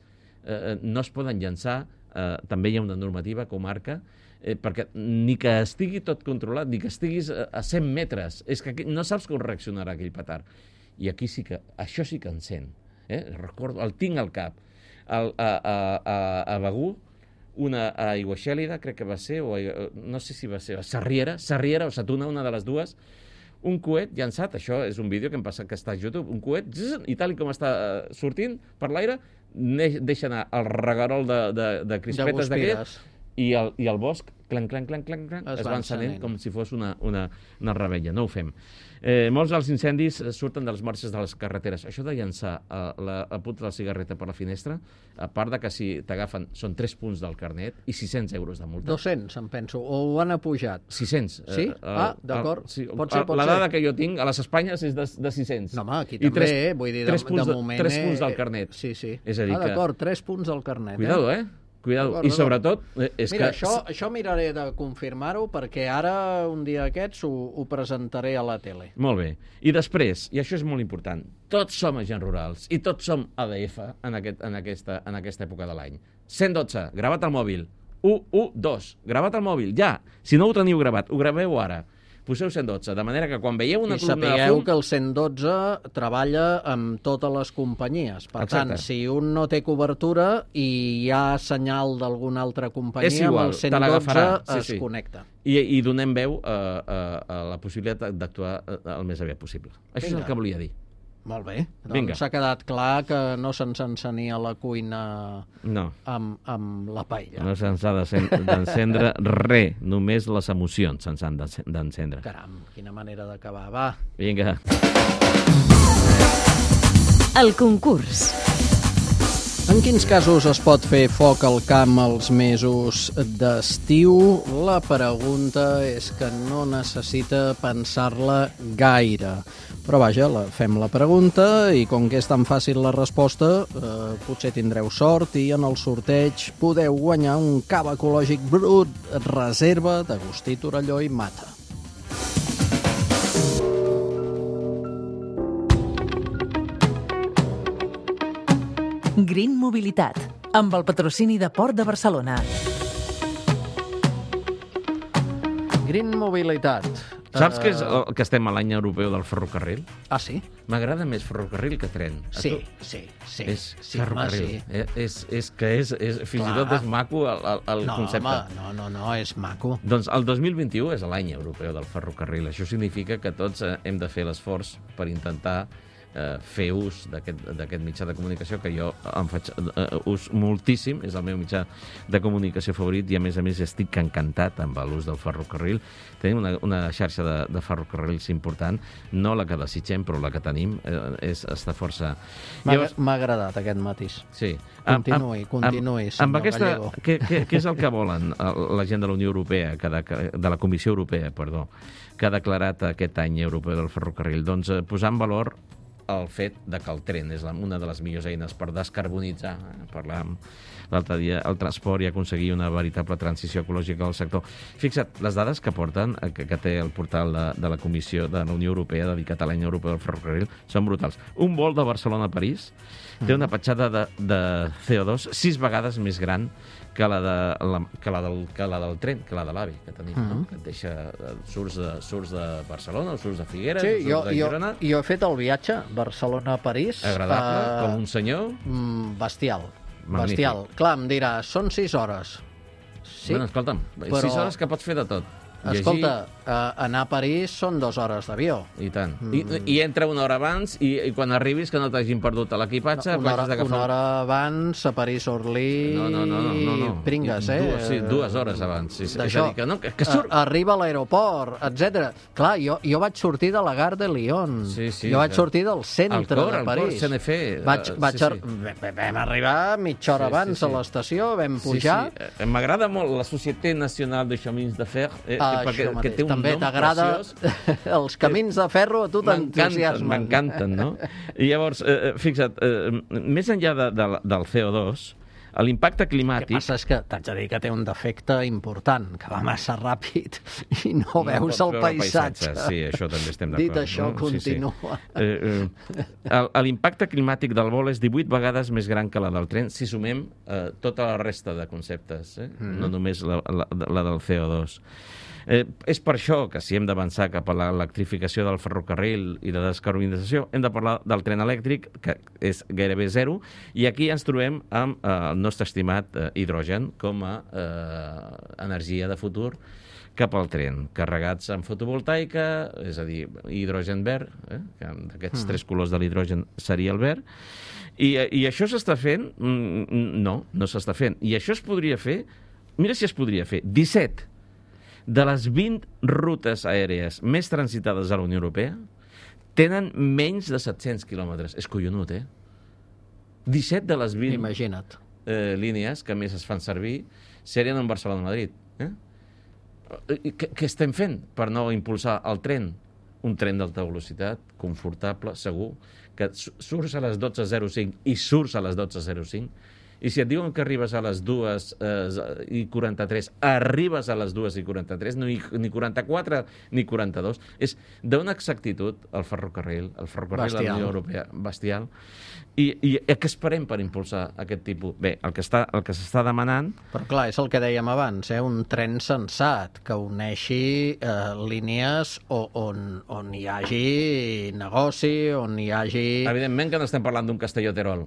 eh, no es poden llançar, eh, també hi ha una normativa que ho marca, eh, perquè ni que estigui tot controlat, ni que estiguis a cent metres, és que no saps com reaccionarà aquell petard. I aquí sí que, això sí que encén. Eh? Recordo, el tinc al cap. El, a, a, a, a Begur, una aigua xèlida, crec que va ser, o a, no sé si va ser, a Sarriera, Sarriera o Satuna, una de les dues, un coet llançat, això és un vídeo que, em passa, que està a YouTube, un coet, zzz, i tal com està sortint per l'aire, deixa anar el regarol de, de, de crispetes d'aquest, i el, i el bosc, clanc, clanc, clanc, clanc, clanc es, es va encenent com si fos una, una, una rebella. No ho fem. Eh, molts dels incendis surten de les marxes de les carreteres. Això de llançar a la, a punta de la cigarreta per la finestra, a part de que si t'agafen són tres punts del carnet i sis-cents euros de multa. dos-cents, em penso, o ho han apujat? sis-cents. Sí? Eh, ah, d'acord. Sí, pot ser, pot la ser. dada que jo tinc a les Espanyes és de, de sis-cents. No, home, aquí també, tres, eh? Vull dir, de, tres punts, de moment... Tres punts del carnet. Sí, sí. És a dir ah, d'acord, que... tres punts del carnet. Cuidado, eh? Cuidado. I sobretot... És Mira, que... això, això miraré de confirmar-ho perquè ara, un dia aquests, ho, ho presentaré a la tele. Molt bé. I després, i això és molt important, tots som agents rurals i tots som A D F en, aquest, en, aquesta, en aquesta època de l'any. cent dotze, gravat al mòbil. u u dos, gravat al mòbil, ja. Si no ho teniu gravat, ho graveu ara. Poseu cent dotze, de manera que quan veieu una I columna de fum... I sapigueu que el cent dotze treballa amb totes les companyies. Per Exacte. tant, si un no té cobertura i hi ha senyal d'alguna altra companyia, és igual, amb el cent dotze sí, es sí. connecta. I, I donem veu a, a, a la possibilitat d'actuar el més aviat possible. Això Vinga. És el que volia dir. Molt bé. Doncs s'ha quedat clar que no se'ns encenia la cuina no. amb, amb la paella. No se'ns ha d'encendre res, només les emocions se'ns han d'encendre. Caram, quina manera d'acabar. Va. Vinga. El concurs. En quins casos es pot fer foc al camp els mesos d'estiu? La pregunta és que no necessita pensar-la gaire. Però vaja, la, fem la pregunta i com que és tan fàcil la resposta, eh, potser tindreu sort i en el sorteig podeu guanyar un cava ecològic brut reserva d'Agustí Torelló i Mata. Green Mobilitat, amb el patrocini de Port de Barcelona. Green Mobilitat. Saps que, és el, que estem a l'any europeu del ferrocarril? Ah, sí? M'agrada més ferrocarril que tren. Sí, sí, sí. És sí, ferrocarril. Sí. Eh, és, és que és, és, fins Clar. i tot és maco el, el, el no, concepte. Home, no, no, no, és maco. Doncs el dos mil vint-i-u és l'any europeu del ferrocarril. Això significa que tots eh, hem de fer l'esforç per intentar eh, fer ús d'aquest mitjà de comunicació, que jo em faig eh, ús moltíssim, és el meu mitjà de comunicació favorit i a més a més estic encantat amb l'ús del ferrocarril. Tenim una, una xarxa de, de ferrocarrils important, no la que desitgem, però la que tenim eh, és, està força... M'ha Llavors... agradat aquest matís. Sí. Continuï, amb, continuï, amb, amb aquesta, què, què, què és el que volen la gent de la Unió Europea, que de, de la Comissió Europea, perdó, que ha declarat aquest any europeu del ferrocarril? Doncs eh, posar en valor el fet de que el tren és una de les millors eines per descarbonitzar, eh? Parlàvem l'altre dia, el transport i aconseguir una veritable transició ecològica del sector. Fixa't, les dades que porten, que, que té el portal de, de la Comissió de la Unió Europea dedicat a l'any europeu del ferrocarril, són brutals. Un vol de Barcelona a París té una petjada de, de C O dos sis vegades més gran que la, de, la, que, la del, que la del tren, que la de l'AVE que tenim, mm. no? Que et deixa, surts de, surts de Barcelona o surts de Figueres sí, o surts jo, de Girona. Jo, jo he fet el viatge Barcelona-París. Agradable, uh, com un senyor. Mm, bestial. Magnífic. Bestial. Clar, em dirà, són sis hores. Sí, bueno, escolta'm, però... sis hores que pots fer de tot. escolta, uh, anar a París són dues hores d'avió. I tant. Mm. I, I entra una hora abans i, i quan arribis que no t'hagin perdut l'equipatge... No, una, hora, una hora abans a París-Orly... No, no, no, no, no, no. Pringues, eh? Dues, sí, dues hores abans. Sí, sí. És a dir, que no, que, que surt... Arriba a l'aeroport, etcètera. Clar, jo, jo vaig sortir de la Gare de Lyon. Sí, sí, jo vaig sortir del centre cor, de París. Al cor, C N F. Vaig, vaig sí, ar... sí. Vam arribar mitja hora sí, abans sí, sí. a l'estació, vam pujar... Sí, sí. M'agrada molt la Société Nationale de Chemins de Fer, eh, ah, perquè, que té un també nom t'agrada els camins de ferro, a tu t'entusiasmen. M'encanten, no? I llavors, eh, fixa't, eh, més enllà de, de, del C O dos, l'impacte climàtic... El que passa és que t'haig de dir que té un defecte important, que va massa ràpid i no, no veus el paisatge. paisatge. Sí, això també estem d'acord. Dit això, no? Continua. Sí, sí. Eh, eh, l'impacte climàtic del vol és divuit vegades més gran que la del tren, si sumem eh, tota la resta de conceptes, eh? Mm. no només la, la, la del C O dos. Eh, és per això que si hem d'avançar cap a l'electrificació del ferrocarril i la descarbonització, hem de parlar del tren elèctric, que és gairebé zero, i aquí ens trobem amb eh, el nostre estimat eh, hidrogen com a eh, energia de futur cap al tren, carregats amb fotovoltaica, és a dir, hidrogen verd, eh, que d'aquests mm. tres colors de l'hidrogen seria el verd, i, i això s'està fent? No, no s'està fent. I això es podria fer, mira si es podria fer, disset de les vint rutes aèries més transitades a la Unió Europea tenen menys de set-cents quilòmetres. És collonut, eh? disset de les vint Imagina't. Eh, línies que més es fan servir serien en Barcelona-Madrid. Eh? Què, què estem fent per no impulsar el tren? Un tren d'alta velocitat, confortable, segur, que surts a les dotze zero cinc i surts a les dotze zero cinc, i si et diuen que arribes a les dues i quaranta-tres, arribes a les dues i quaranta-tres, no, ni quaranta-quatre ni quaranta-dos. És d'una exactitud el ferrocarril, el ferrocarril bestial. De la Unió Europea, bestial. I, i què esperem per impulsar aquest tipus? Bé, el que està, el que s'està demanant... Però clar, és el que dèiem abans, eh? Un tren sensat, que uneixi eh, línies on, on hi hagi negoci, on hi hagi... Evidentment que no estem parlant d'un Castelló-Terol.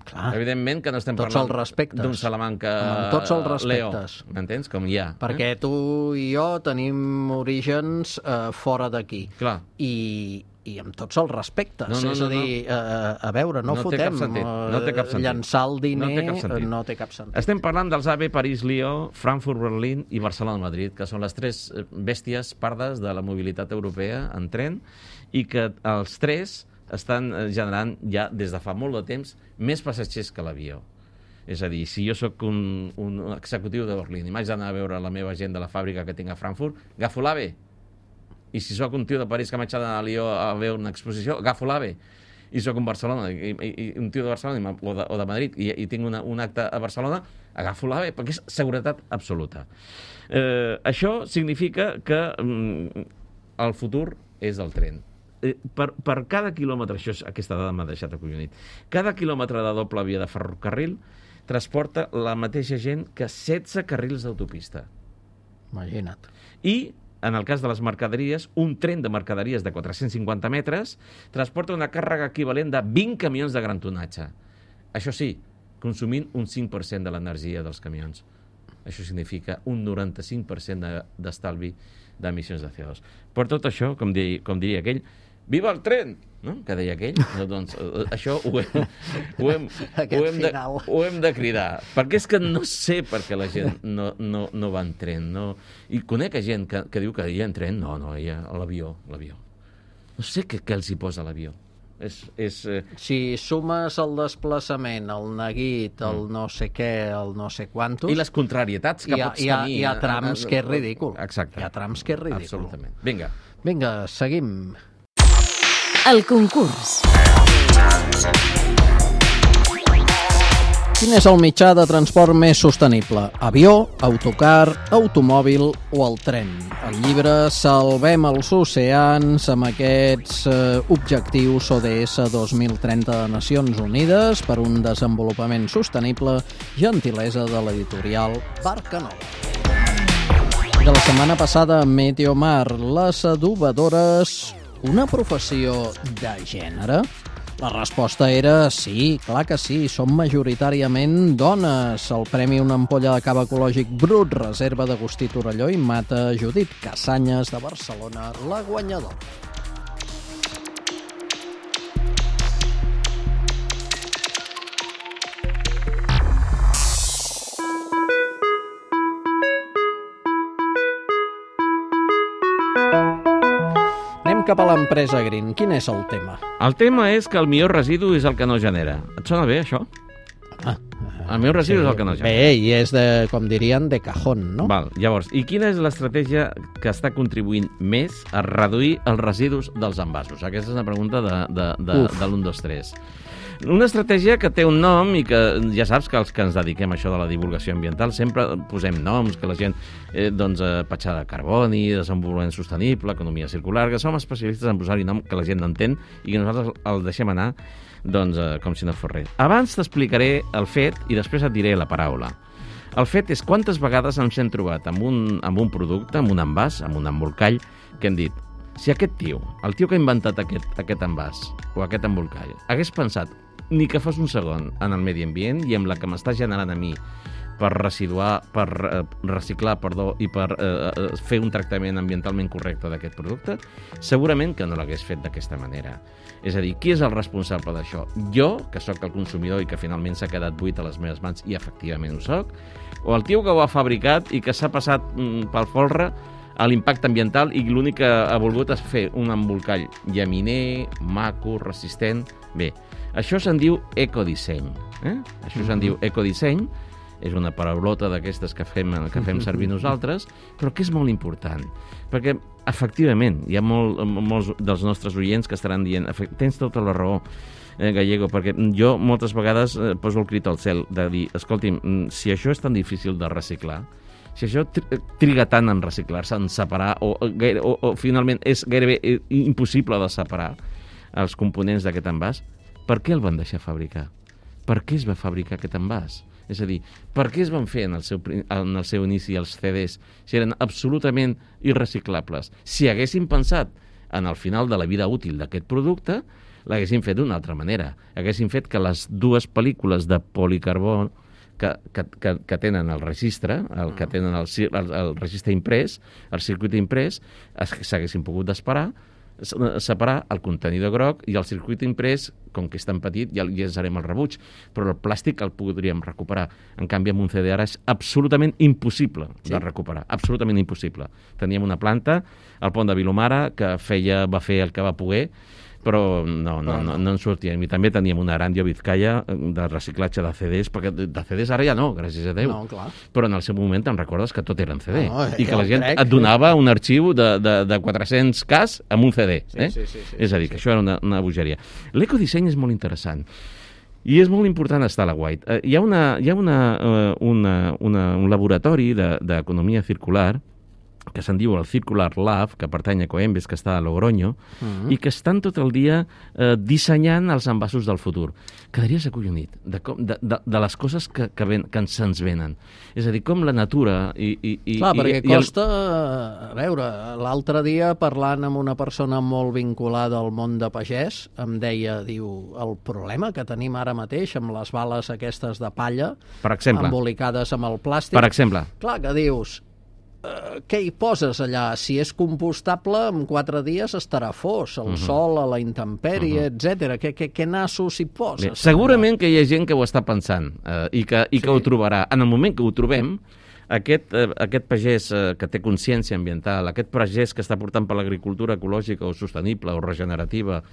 Clar. Evidentment que no estem tots parlant d'un Salamanca amb tots els respectes. Leo, m'entens? Com hi ha. Perquè eh? tu i jo tenim orígens eh, fora d'aquí. Clar. I, i amb tots els respectes. No, no, és a no, dir, no. Eh, a veure, no, no fotem. No té cap sentit. Llançar el diner no té cap sentit. No té cap sentit. Estem parlant dels A V E París-Lió, Frankfurt-Berlín i Barcelona-Madrid, que són les tres bèsties pardes de la mobilitat europea en tren, i que els tres estan generant ja des de fa molt de temps més passatgers que l'avió. És a dir, si jo sóc un, un executiu de Berlín i m'haig d'anar a veure la meva gent de la fàbrica que tinc a Frankfurt, agafo l'AVE. I si sóc un tio de París que m'haig d'anar a Lió a veure una exposició, agafo l'AVE. I sóc un Barcelona, i, i, i un tio de Barcelona o de, o de Madrid, i, i tinc una, un acte a Barcelona, agafo l'AVE, perquè és seguretat absoluta. Eh, això significa que mm, el futur és el tren. Eh, per, per cada quilòmetre, això, aquesta dada m'ha deixat acollonit, cada quilòmetre de doble via de ferrocarril transporta la mateixa gent que setze carrils d'autopista. Imagina't. I, en el cas de les mercaderies, un tren de mercaderies de quatre-cents cinquanta metres transporta una càrrega equivalent de vint camions de gran tonatge. Això sí, consumint un cinc per cent de l'energia dels camions. Això significa un noranta-cinc per cent d'estalvi d'emissions de C O dos. Per tot això, com, di, com diria aquell, viva el tren! No? Que deia aquell. No, doncs, això ho hem, ho, hem, ho, hem de, ho hem de cridar. Perquè és que no sé per què la gent no, no, no va en tren. No. I conec gent que, que diu que hi ha en tren. No, no, hi ha l'avió. l'avió. No sé què, què els hi posa l'avió. És, és, eh... Si sumes el desplaçament, el neguit, el no sé què, el no sé quantos... I les contrarietats que ha, pots hi ha, tenir... Hi ha trams que és ridícul. Exacte. Hi ha trams que és ridícul. Absolutament. Vinga. Vinga, seguim. El concurs. Quin és el mitjà de transport més sostenible? Avió, autocar, automòbil o el tren? El llibre Salvem els oceans amb aquests eh, objectius O D S dos mil trenta de Nacions Unides per un desenvolupament sostenible, gentilesa de l'editorial Barca Nova. De la setmana passada, Meteomar, les adobadores, una professió de gènere? La resposta era sí, clar que sí, són majoritàriament dones. El premi Una ampolla de cava ecològic brut reserva d'Agustí Torelló i Mata Judit Casanyes de Barcelona, la guanyadora. Cap a l'empresa Green. Quin és el tema? El tema és que el millor residu és el que no genera. Et sona bé, això? Ah, el millor residu sí, és el que no genera. Bé, i és, de, com dirien, de cajón, no? Val, llavors, i quina és l'estratègia que està contribuint més a reduir els residus dels envasos? Aquesta és una pregunta de, de, de, de l'u, dos, tres. Una estratègia que té un nom i que ja saps que els que ens dediquem a això de la divulgació ambiental sempre posem noms, que la gent, eh, doncs, eh, petjada de carboni, desenvolupament sostenible, economia circular, que som especialistes en posar-hi nom que la gent no entén i que nosaltres el deixem anar doncs, eh, com si no fos res. Abans t'explicaré el fet i després et diré la paraula. El fet és quantes vegades ens hem trobat amb un, amb un producte, amb un envàs, amb un embolcall, que hem dit, si aquest tio, el tio que ha inventat aquest, aquest envàs o aquest embolcall, hagués pensat ni que fos un segon en el medi ambient i amb la que m'està generant a mi per residuar, per eh, reciclar, perdó, i per eh, fer un tractament ambientalment correcte d'aquest producte, segurament que no l'hagués fet d'aquesta manera. És a dir, qui és el responsable d'això? Jo, que sóc el consumidor i que finalment s'ha quedat buit a les meves mans i efectivament ho soc, o el tio que ho ha fabricat i que s'ha passat mm, pel folre a l'impacte ambiental i l'únic que ha volgut és fer un embolcall llaminer, maco, resistent... Bé, això se'n diu ecodisseny. Eh? Això se'n diu ecodisseny, és una paraulota d'aquestes que fem, que fem servir nosaltres, però que és molt important, perquè efectivament hi ha molt, molts dels nostres oients que estaran dient tens tota la raó, eh, Gallego, perquè jo moltes vegades eh, poso el crit al cel de dir, escolti'm, si això és tan difícil de reciclar, si això triga tant en reciclar-se, en separar, o, o, o finalment és gairebé impossible de separar els components d'aquest envàs, per què el van deixar fabricar? Per què es va fabricar aquest envàs? És a dir, per què es van fer en el seu, en el seu inici els C Ds si eren absolutament irreciclables? Si haguessin pensat en el final de la vida útil d'aquest producte, l'haguessin fet d'una altra manera. Haguessin fet que les dues pel·lícules de policarbó que, que, que, que tenen el registre, el que tenen el, el, el registre imprès, el circuit imprès, s'haguessin pogut desparar, separar el contenidor groc i el circuit imprès, com que és tan petit, ja llançarem el rebuig, però el plàstic el podríem recuperar. En canvi, amb un C D ara és absolutament impossible sí. de recuperar, absolutament impossible. Teníem una planta, al pont de Vilomara, que feia, va fer el que va poder, però no, no, no, no en sortíem. I també teníem una Arandio Vizcaya de reciclatge de C Ds, perquè de C Ds ara ja no, gràcies a Déu. No, clar. Però en el seu moment te'n recordes que tot eren C D. No, I que la gent crec, et donava un arxiu de, de, de quatre-cents cas amb un C D. Sí, eh? sí, sí, sí, és a dir, sí, que sí. això era una, una bogeria. L'ecodisseny és molt interessant. I és molt important estar a la White. Uh, hi ha, una, hi ha una, uh, una, una, un laboratori d'economia de, circular que se'n diu el Circular Lab, que pertany a Coembes, que està a Logroño, uh-huh. i que estan tot el dia eh, dissenyant els envasos del futur. Quedaries acollonit de, com, de, de, de les coses que, que, ven, que se'ns venen. És a dir, com la natura... I, i, i, Clar, i, perquè i costa... El... A veure, l'altre dia, parlant amb una persona molt vinculada al món de pagès, em deia, diu, el problema que tenim ara mateix amb les bales aquestes de palla, per exemple, embolicades amb el plàstic... Per exemple. Clar que dius... Uh, què hi poses allà? Si és compostable, en quatre dies estarà fos, el uh-huh. sol, a la intempèrie, uh-huh. etcètera. Què, què, què nassos hi poses? Bé, segurament allà? Que hi ha gent que ho està pensant eh, i, que, i que sí. ho trobarà. En el moment que ho trobem, aquest, eh, aquest pagès eh, que té consciència ambiental, aquest pagès que està portant per l'agricultura ecològica o sostenible o regenerativa,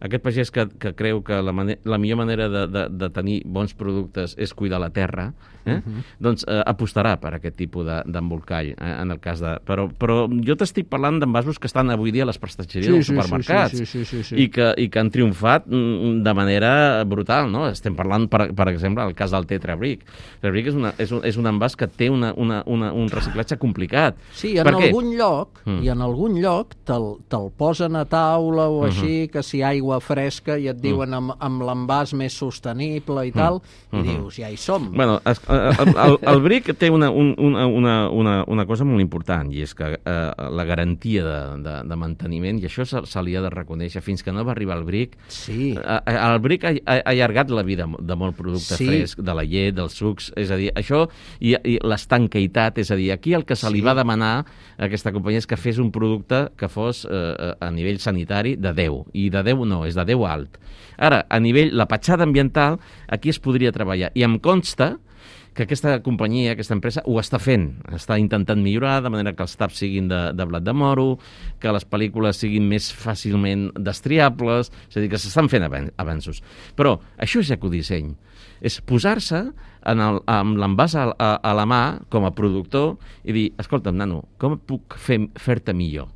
aquest pagès que, que creu que la, mane la millor manera de, de, de tenir bons productes és cuidar la terra, eh? uh-huh. doncs eh, apostarà per aquest tipus d'embolcall, eh, en el cas de... Però, però jo t'estic parlant d'envasos que estan avui dia a les prestatgeries sí, dels sí, supermercats sí, sí, sí, sí, sí. I, que, i que han triomfat de manera brutal, no? Estem parlant, per, per exemple, el cas del Tetra Brick. Tetra Brick és, una, és, un, és un envàs que té una, una, una, un reciclatge complicat. Sí, en algun lloc, mm. i en algun lloc te'l te posen a taula o uh-huh. així, que si aigua aigua fresca i et diuen amb, amb l'envàs més sostenible i tal, mm. i dius, ja hi som. Bueno, el, el, el bric té una, una, una, una, una cosa molt important, i és que eh, la garantia de, de, de manteniment, i això se, se li ha de reconèixer, fins que no va arribar el bric, sí. eh, el bric ha, ha allargat la vida de molt producte sí. fresc, de la llet, dels sucs, és a dir, això, i, i l'estanqueitat, és a dir, aquí el que se li sí. va demanar a aquesta companyia és que fes un producte que fos eh, a nivell sanitari de deu, i de deu no, és de deu alt. Ara, a nivell, la petjada ambiental, aquí es podria treballar, i em consta que aquesta companyia, aquesta empresa, ho està fent. Està intentant millorar, de manera que els taps siguin de, de blat de moro, que les pel·lícules siguin més fàcilment destriables, és a dir, que s'estan fent avanços. Però això és ecodisseny. És posar-se en el, amb l'envàs a, a, a la mà, com a productor, i dir, escolta'm, nano, com puc fer, fer-te millor?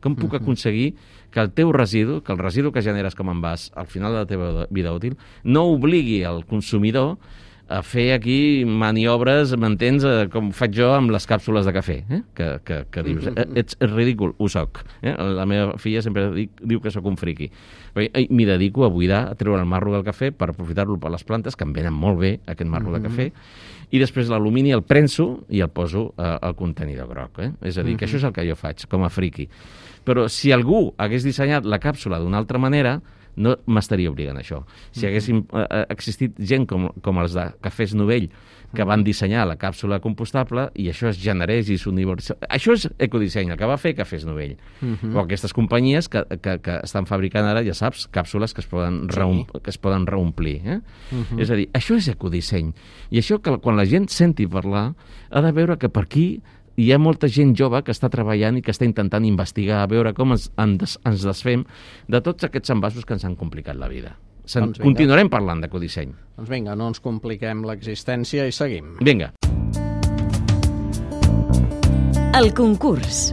Com puc aconseguir que el teu residu, que el residu que generes com a envàs al final de la teva vida útil, no obligui el consumidor a fer aquí maniobres, m'entens, com faig jo amb les càpsules de cafè, eh? que, que, que dius, eh, ets ridícul, ho soc. Eh? La meva filla sempre dic, diu que sóc un friqui. M'hi dedico a buidar, a treure el marro del cafè per aprofitar-lo per les plantes, que em venen molt bé, aquest marro de cafè, i després l'alumini el prenso i el poso eh, al contenidor groc. Eh? És a dir, que això és el que jo faig, com a friqui. Però si algú hagués dissenyat la càpsula d'una altra manera, no m'estaria obligant a això. Si haguessin eh, existit gent com, com els de Cafès Novell, que van dissenyar la càpsula compostable, i això es generés i s'universal... Això és ecodisseny, el que va fer Cafès Novell. Uh -huh. O aquestes companyies que, que, que estan fabricant ara, ja saps, càpsules que es poden, sí. reum, que es poden reomplir. Eh? Uh -huh. És a dir, això és ecodisseny. I això, que quan la gent senti parlar, ha de veure que per aquí hi ha molta gent jove que està treballant i que està intentant investigar, a veure com ens, ens, ens desfem de tots aquests envasos que ens han complicat la vida. Doncs continuarem parlant d'ecodisseny. Doncs vinga, no ens compliquem l'existència i seguim. Vinga. El concurs.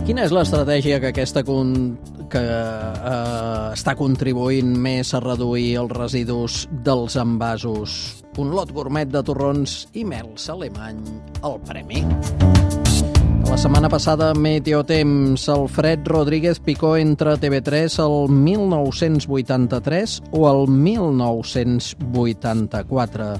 Quina és l'estratègia que aquesta con... que eh, està contribuint més a reduir els residus dels envasos? Un lot gourmet de torrons i mels alemany al premi. La setmana passada, Meteotemps, Alfred Rodríguez picó entre T V tres el mil nou-cents vuitanta-tres o el mil nou-cents vuitanta-quatre.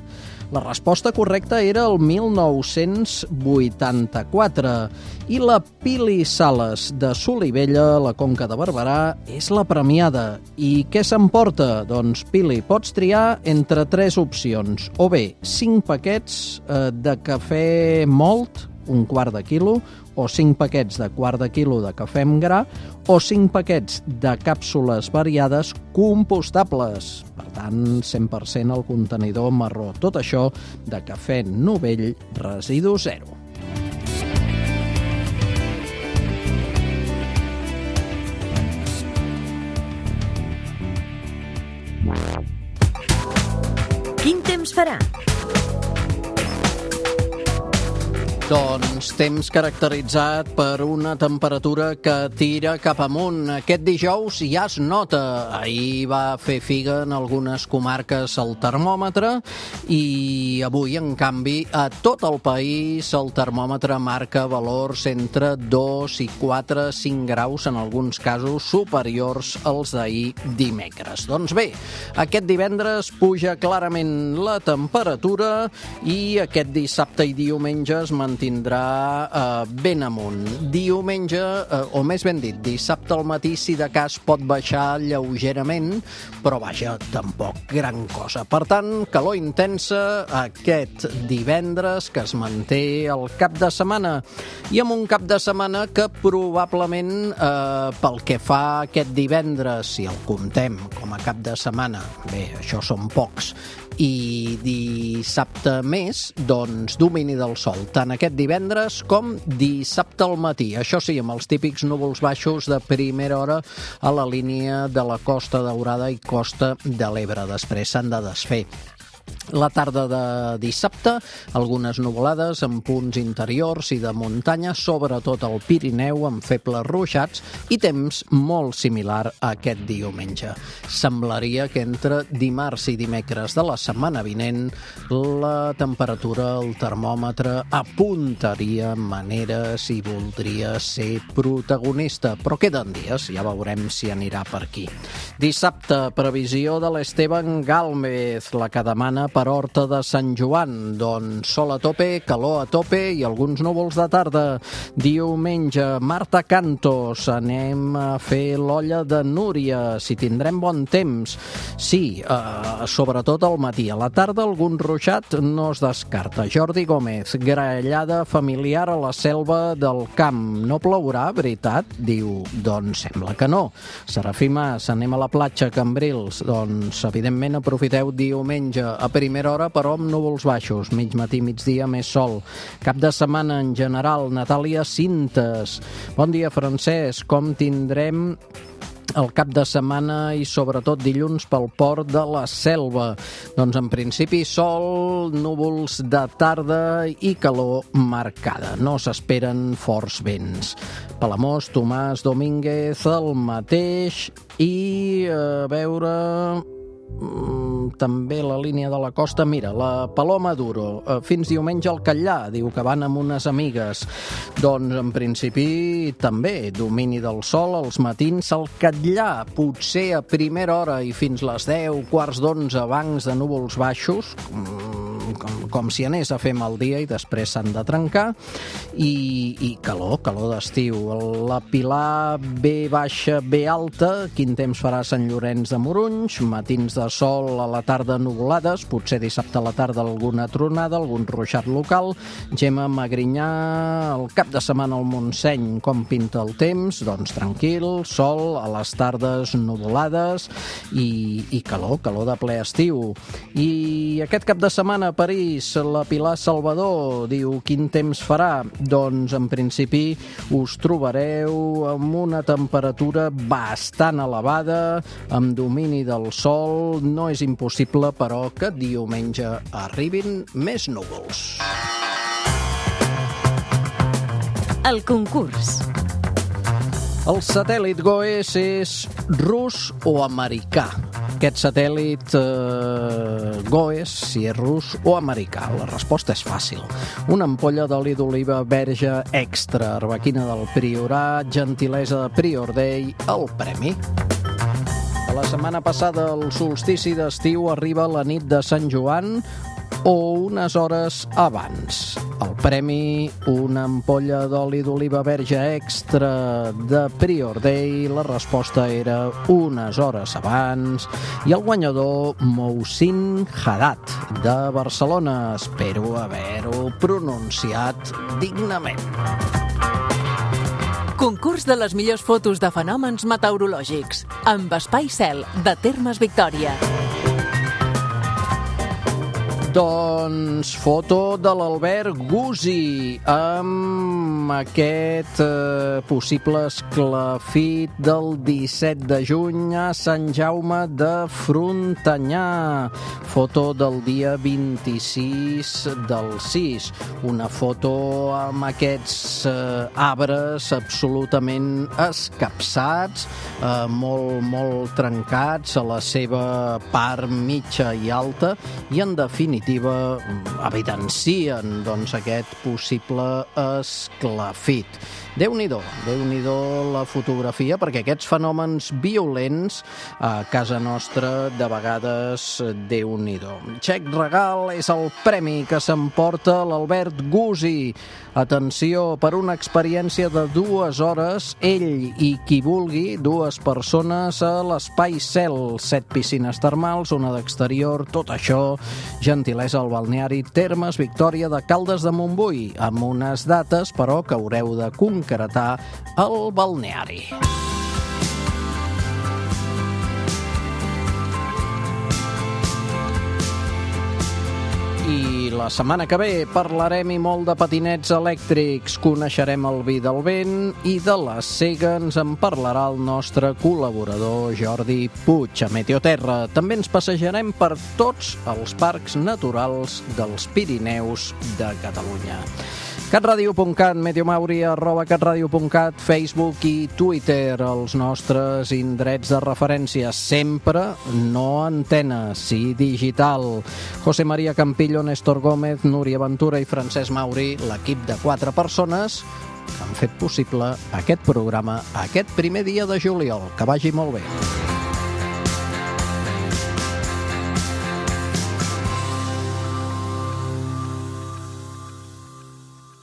La resposta correcta era el mil nou-cents vuitanta-quatre i la Pili Sales de Solivella, la Conca de Barberà, és la premiada. I què s'emporta? Doncs, Pili, pots triar entre tres opcions. O bé, cinc paquets eh, de cafè mòlt, un quart de quilo, o cinc paquets de quart de quilo de cafè amb gra, o cinc paquets de càpsules variades compostables. Per tant, cent per cent el contenidor marró. Tot això de Cafè Novell, residu zero. Quin temps farà? Doncs temps caracteritzat per una temperatura que tira cap amunt. Aquest dijous ja es nota. Ahir va fer figa en algunes comarques el termòmetre i avui, en canvi, a tot el país el termòmetre marca valors entre dos i quatre, cinc graus, en alguns casos superiors als d'ahir dimecres. Doncs bé, aquest divendres puja clarament la temperatura i aquest dissabte i diumenge es mantindrà tindrà eh, ben amunt. Diumenge, eh, o més ben dit, dissabte al matí, si de cas pot baixar lleugerament, però vaja, tampoc gran cosa. Per tant, calor intensa aquest divendres, que es manté el cap de setmana, i amb un cap de setmana que probablement, eh, pel que fa aquest divendres, si el comptem com a cap de setmana, bé, això són pocs, i dissabte més, doncs domini del sol, tant aquest divendres com dissabte al matí. Això sí, amb els típics núvols baixos de primera hora a la línia de la Costa Daurada i Costa de l'Ebre. Després s'han de desfer. La tarda de dissabte, algunes nuvolades en punts interiors i de muntanya, sobretot al Pirineu, amb febles ruixats, i temps molt similar a aquest diumenge. Semblaria que entre dimarts i dimecres de la setmana vinent la temperatura, el termòmetre, apuntaria maneres i voldria ser protagonista, però queden dies, ja veurem si anirà per aquí. Dissabte, previsió de l'Esteban Gálmez, la que demana per Horta de Sant Joan, doncs sol a tope, calor a tope i alguns núvols de tarda. Diumenge, Marta Cantos, anem a fer l'olla de Núria, si tindrem bon temps. Sí, eh, sobretot al matí. A la tarda algun ruixat no es descarta. Jordi Gómez, graellada familiar a la selva del camp. No plourà, veritat? Diu, doncs sembla que no. Serafí Mas, anem a la platja, Cambrils. Doncs, evidentment, aprofiteu diumenge a primera hora, però amb núvols baixos, mig matí, migdia, més sol. Cap de setmana en general, Natàlia Cintes. Bon dia, Francesc. Com tindrem el cap de setmana i sobretot dilluns pel port de la Selva? Doncs en principi sol, núvols de tarda i calor marcada. No s'esperen forts vents. Palamós, Tomàs Domínguez, el mateix, i a veure... també la línia de la costa, mira, la Paloma Duro, fins diumenge al Catllà, diu que van amb unes amigues. Doncs en principi també domini del sol als matins al Catllà, potser a primera hora i fins les deu, quarts d'onze, bancs de núvols baixos, com, com si anés a fer mal dia i després s'han de trencar, i, i calor, calor d'estiu. La Pilar B baixa, B alta, quin temps farà a Sant Llorenç de Morunys, matins de sol, a la tarda nuvolades, potser dissabte a la tarda alguna tronada, algun ruixat local. Gemma Magrinyà, el cap de setmana al Montseny, com pinta el temps? Doncs tranquil, sol, a les tardes nuvolades i, i calor, calor de ple estiu. I aquest cap de setmana a París, la Pilar Salvador diu, quin temps farà? Doncs en principi us trobareu amb una temperatura bastant elevada, amb domini del sol. No és impossible, però, que diumenge arribin més núvols. El concurs. El satèl·lit GOES és rus o americà? Aquest satèl·lit eh, GOES, si és rus o americà? La resposta és fàcil. Una ampolla d'oli d'oliva verge extra, arbequina del Priorat, gentilesa de Prior Day, el premi. La setmana passada el solstici d'estiu arriba a la nit de Sant Joan o unes hores abans. El premi, una ampolla d'oli d'oliva verge extra de Prior Day. La resposta era unes hores abans. I el guanyador, Mousin Haddad, de Barcelona. Espero haver-ho pronunciat dignament. Concurs de les millors fotos de fenòmens meteorològics amb Espai Cel, de Termes Victòria. Doncs foto de l'Albert Gussi amb aquest eh, possible esclafit del disset de juny a Sant Jaume de Frontanyà. Foto del dia vint-i-sis del sis. Una foto amb aquests eh, arbres absolutament escapçats, eh, molt, molt trencats a la seva part mitja i alta, i en definitiva evidencien doncs, aquest possible esclafit. Déu-n'hi-do, Déu-n'hi-do la fotografia, perquè aquests fenòmens violents a casa nostra de vegades Déu-n'hi-do. Xec regal és el premi que s'emporta l'Albert Gussi. Atenció, per una experiència de dues hores, ell i qui vulgui, dues persones a l'Espai Cel, set piscines termals, una d'exterior, tot això, gentilesa al balneari Termes Victòria de Caldes de Montbui, amb unes dates, però, que haureu de concretar al balneari. I la setmana que ve parlarem i molt de patinets elèctrics, coneixerem el vi del vent i de la sega ens en parlarà el nostre col·laborador Jordi Puig a Meteoterra. També ens passejarem per tots els parcs naturals dels Pirineus de Catalunya. catradio punt cat, meteomauri arroba catradio punt cat, Facebook i Twitter, els nostres indrets de referència, sempre no antena, sí digital. José María Campillo, Néstor Gómez, Núria Ventura i Francesc Mauri, l'equip de quatre persones que han fet possible aquest programa aquest primer dia de juliol. Que vagi molt bé.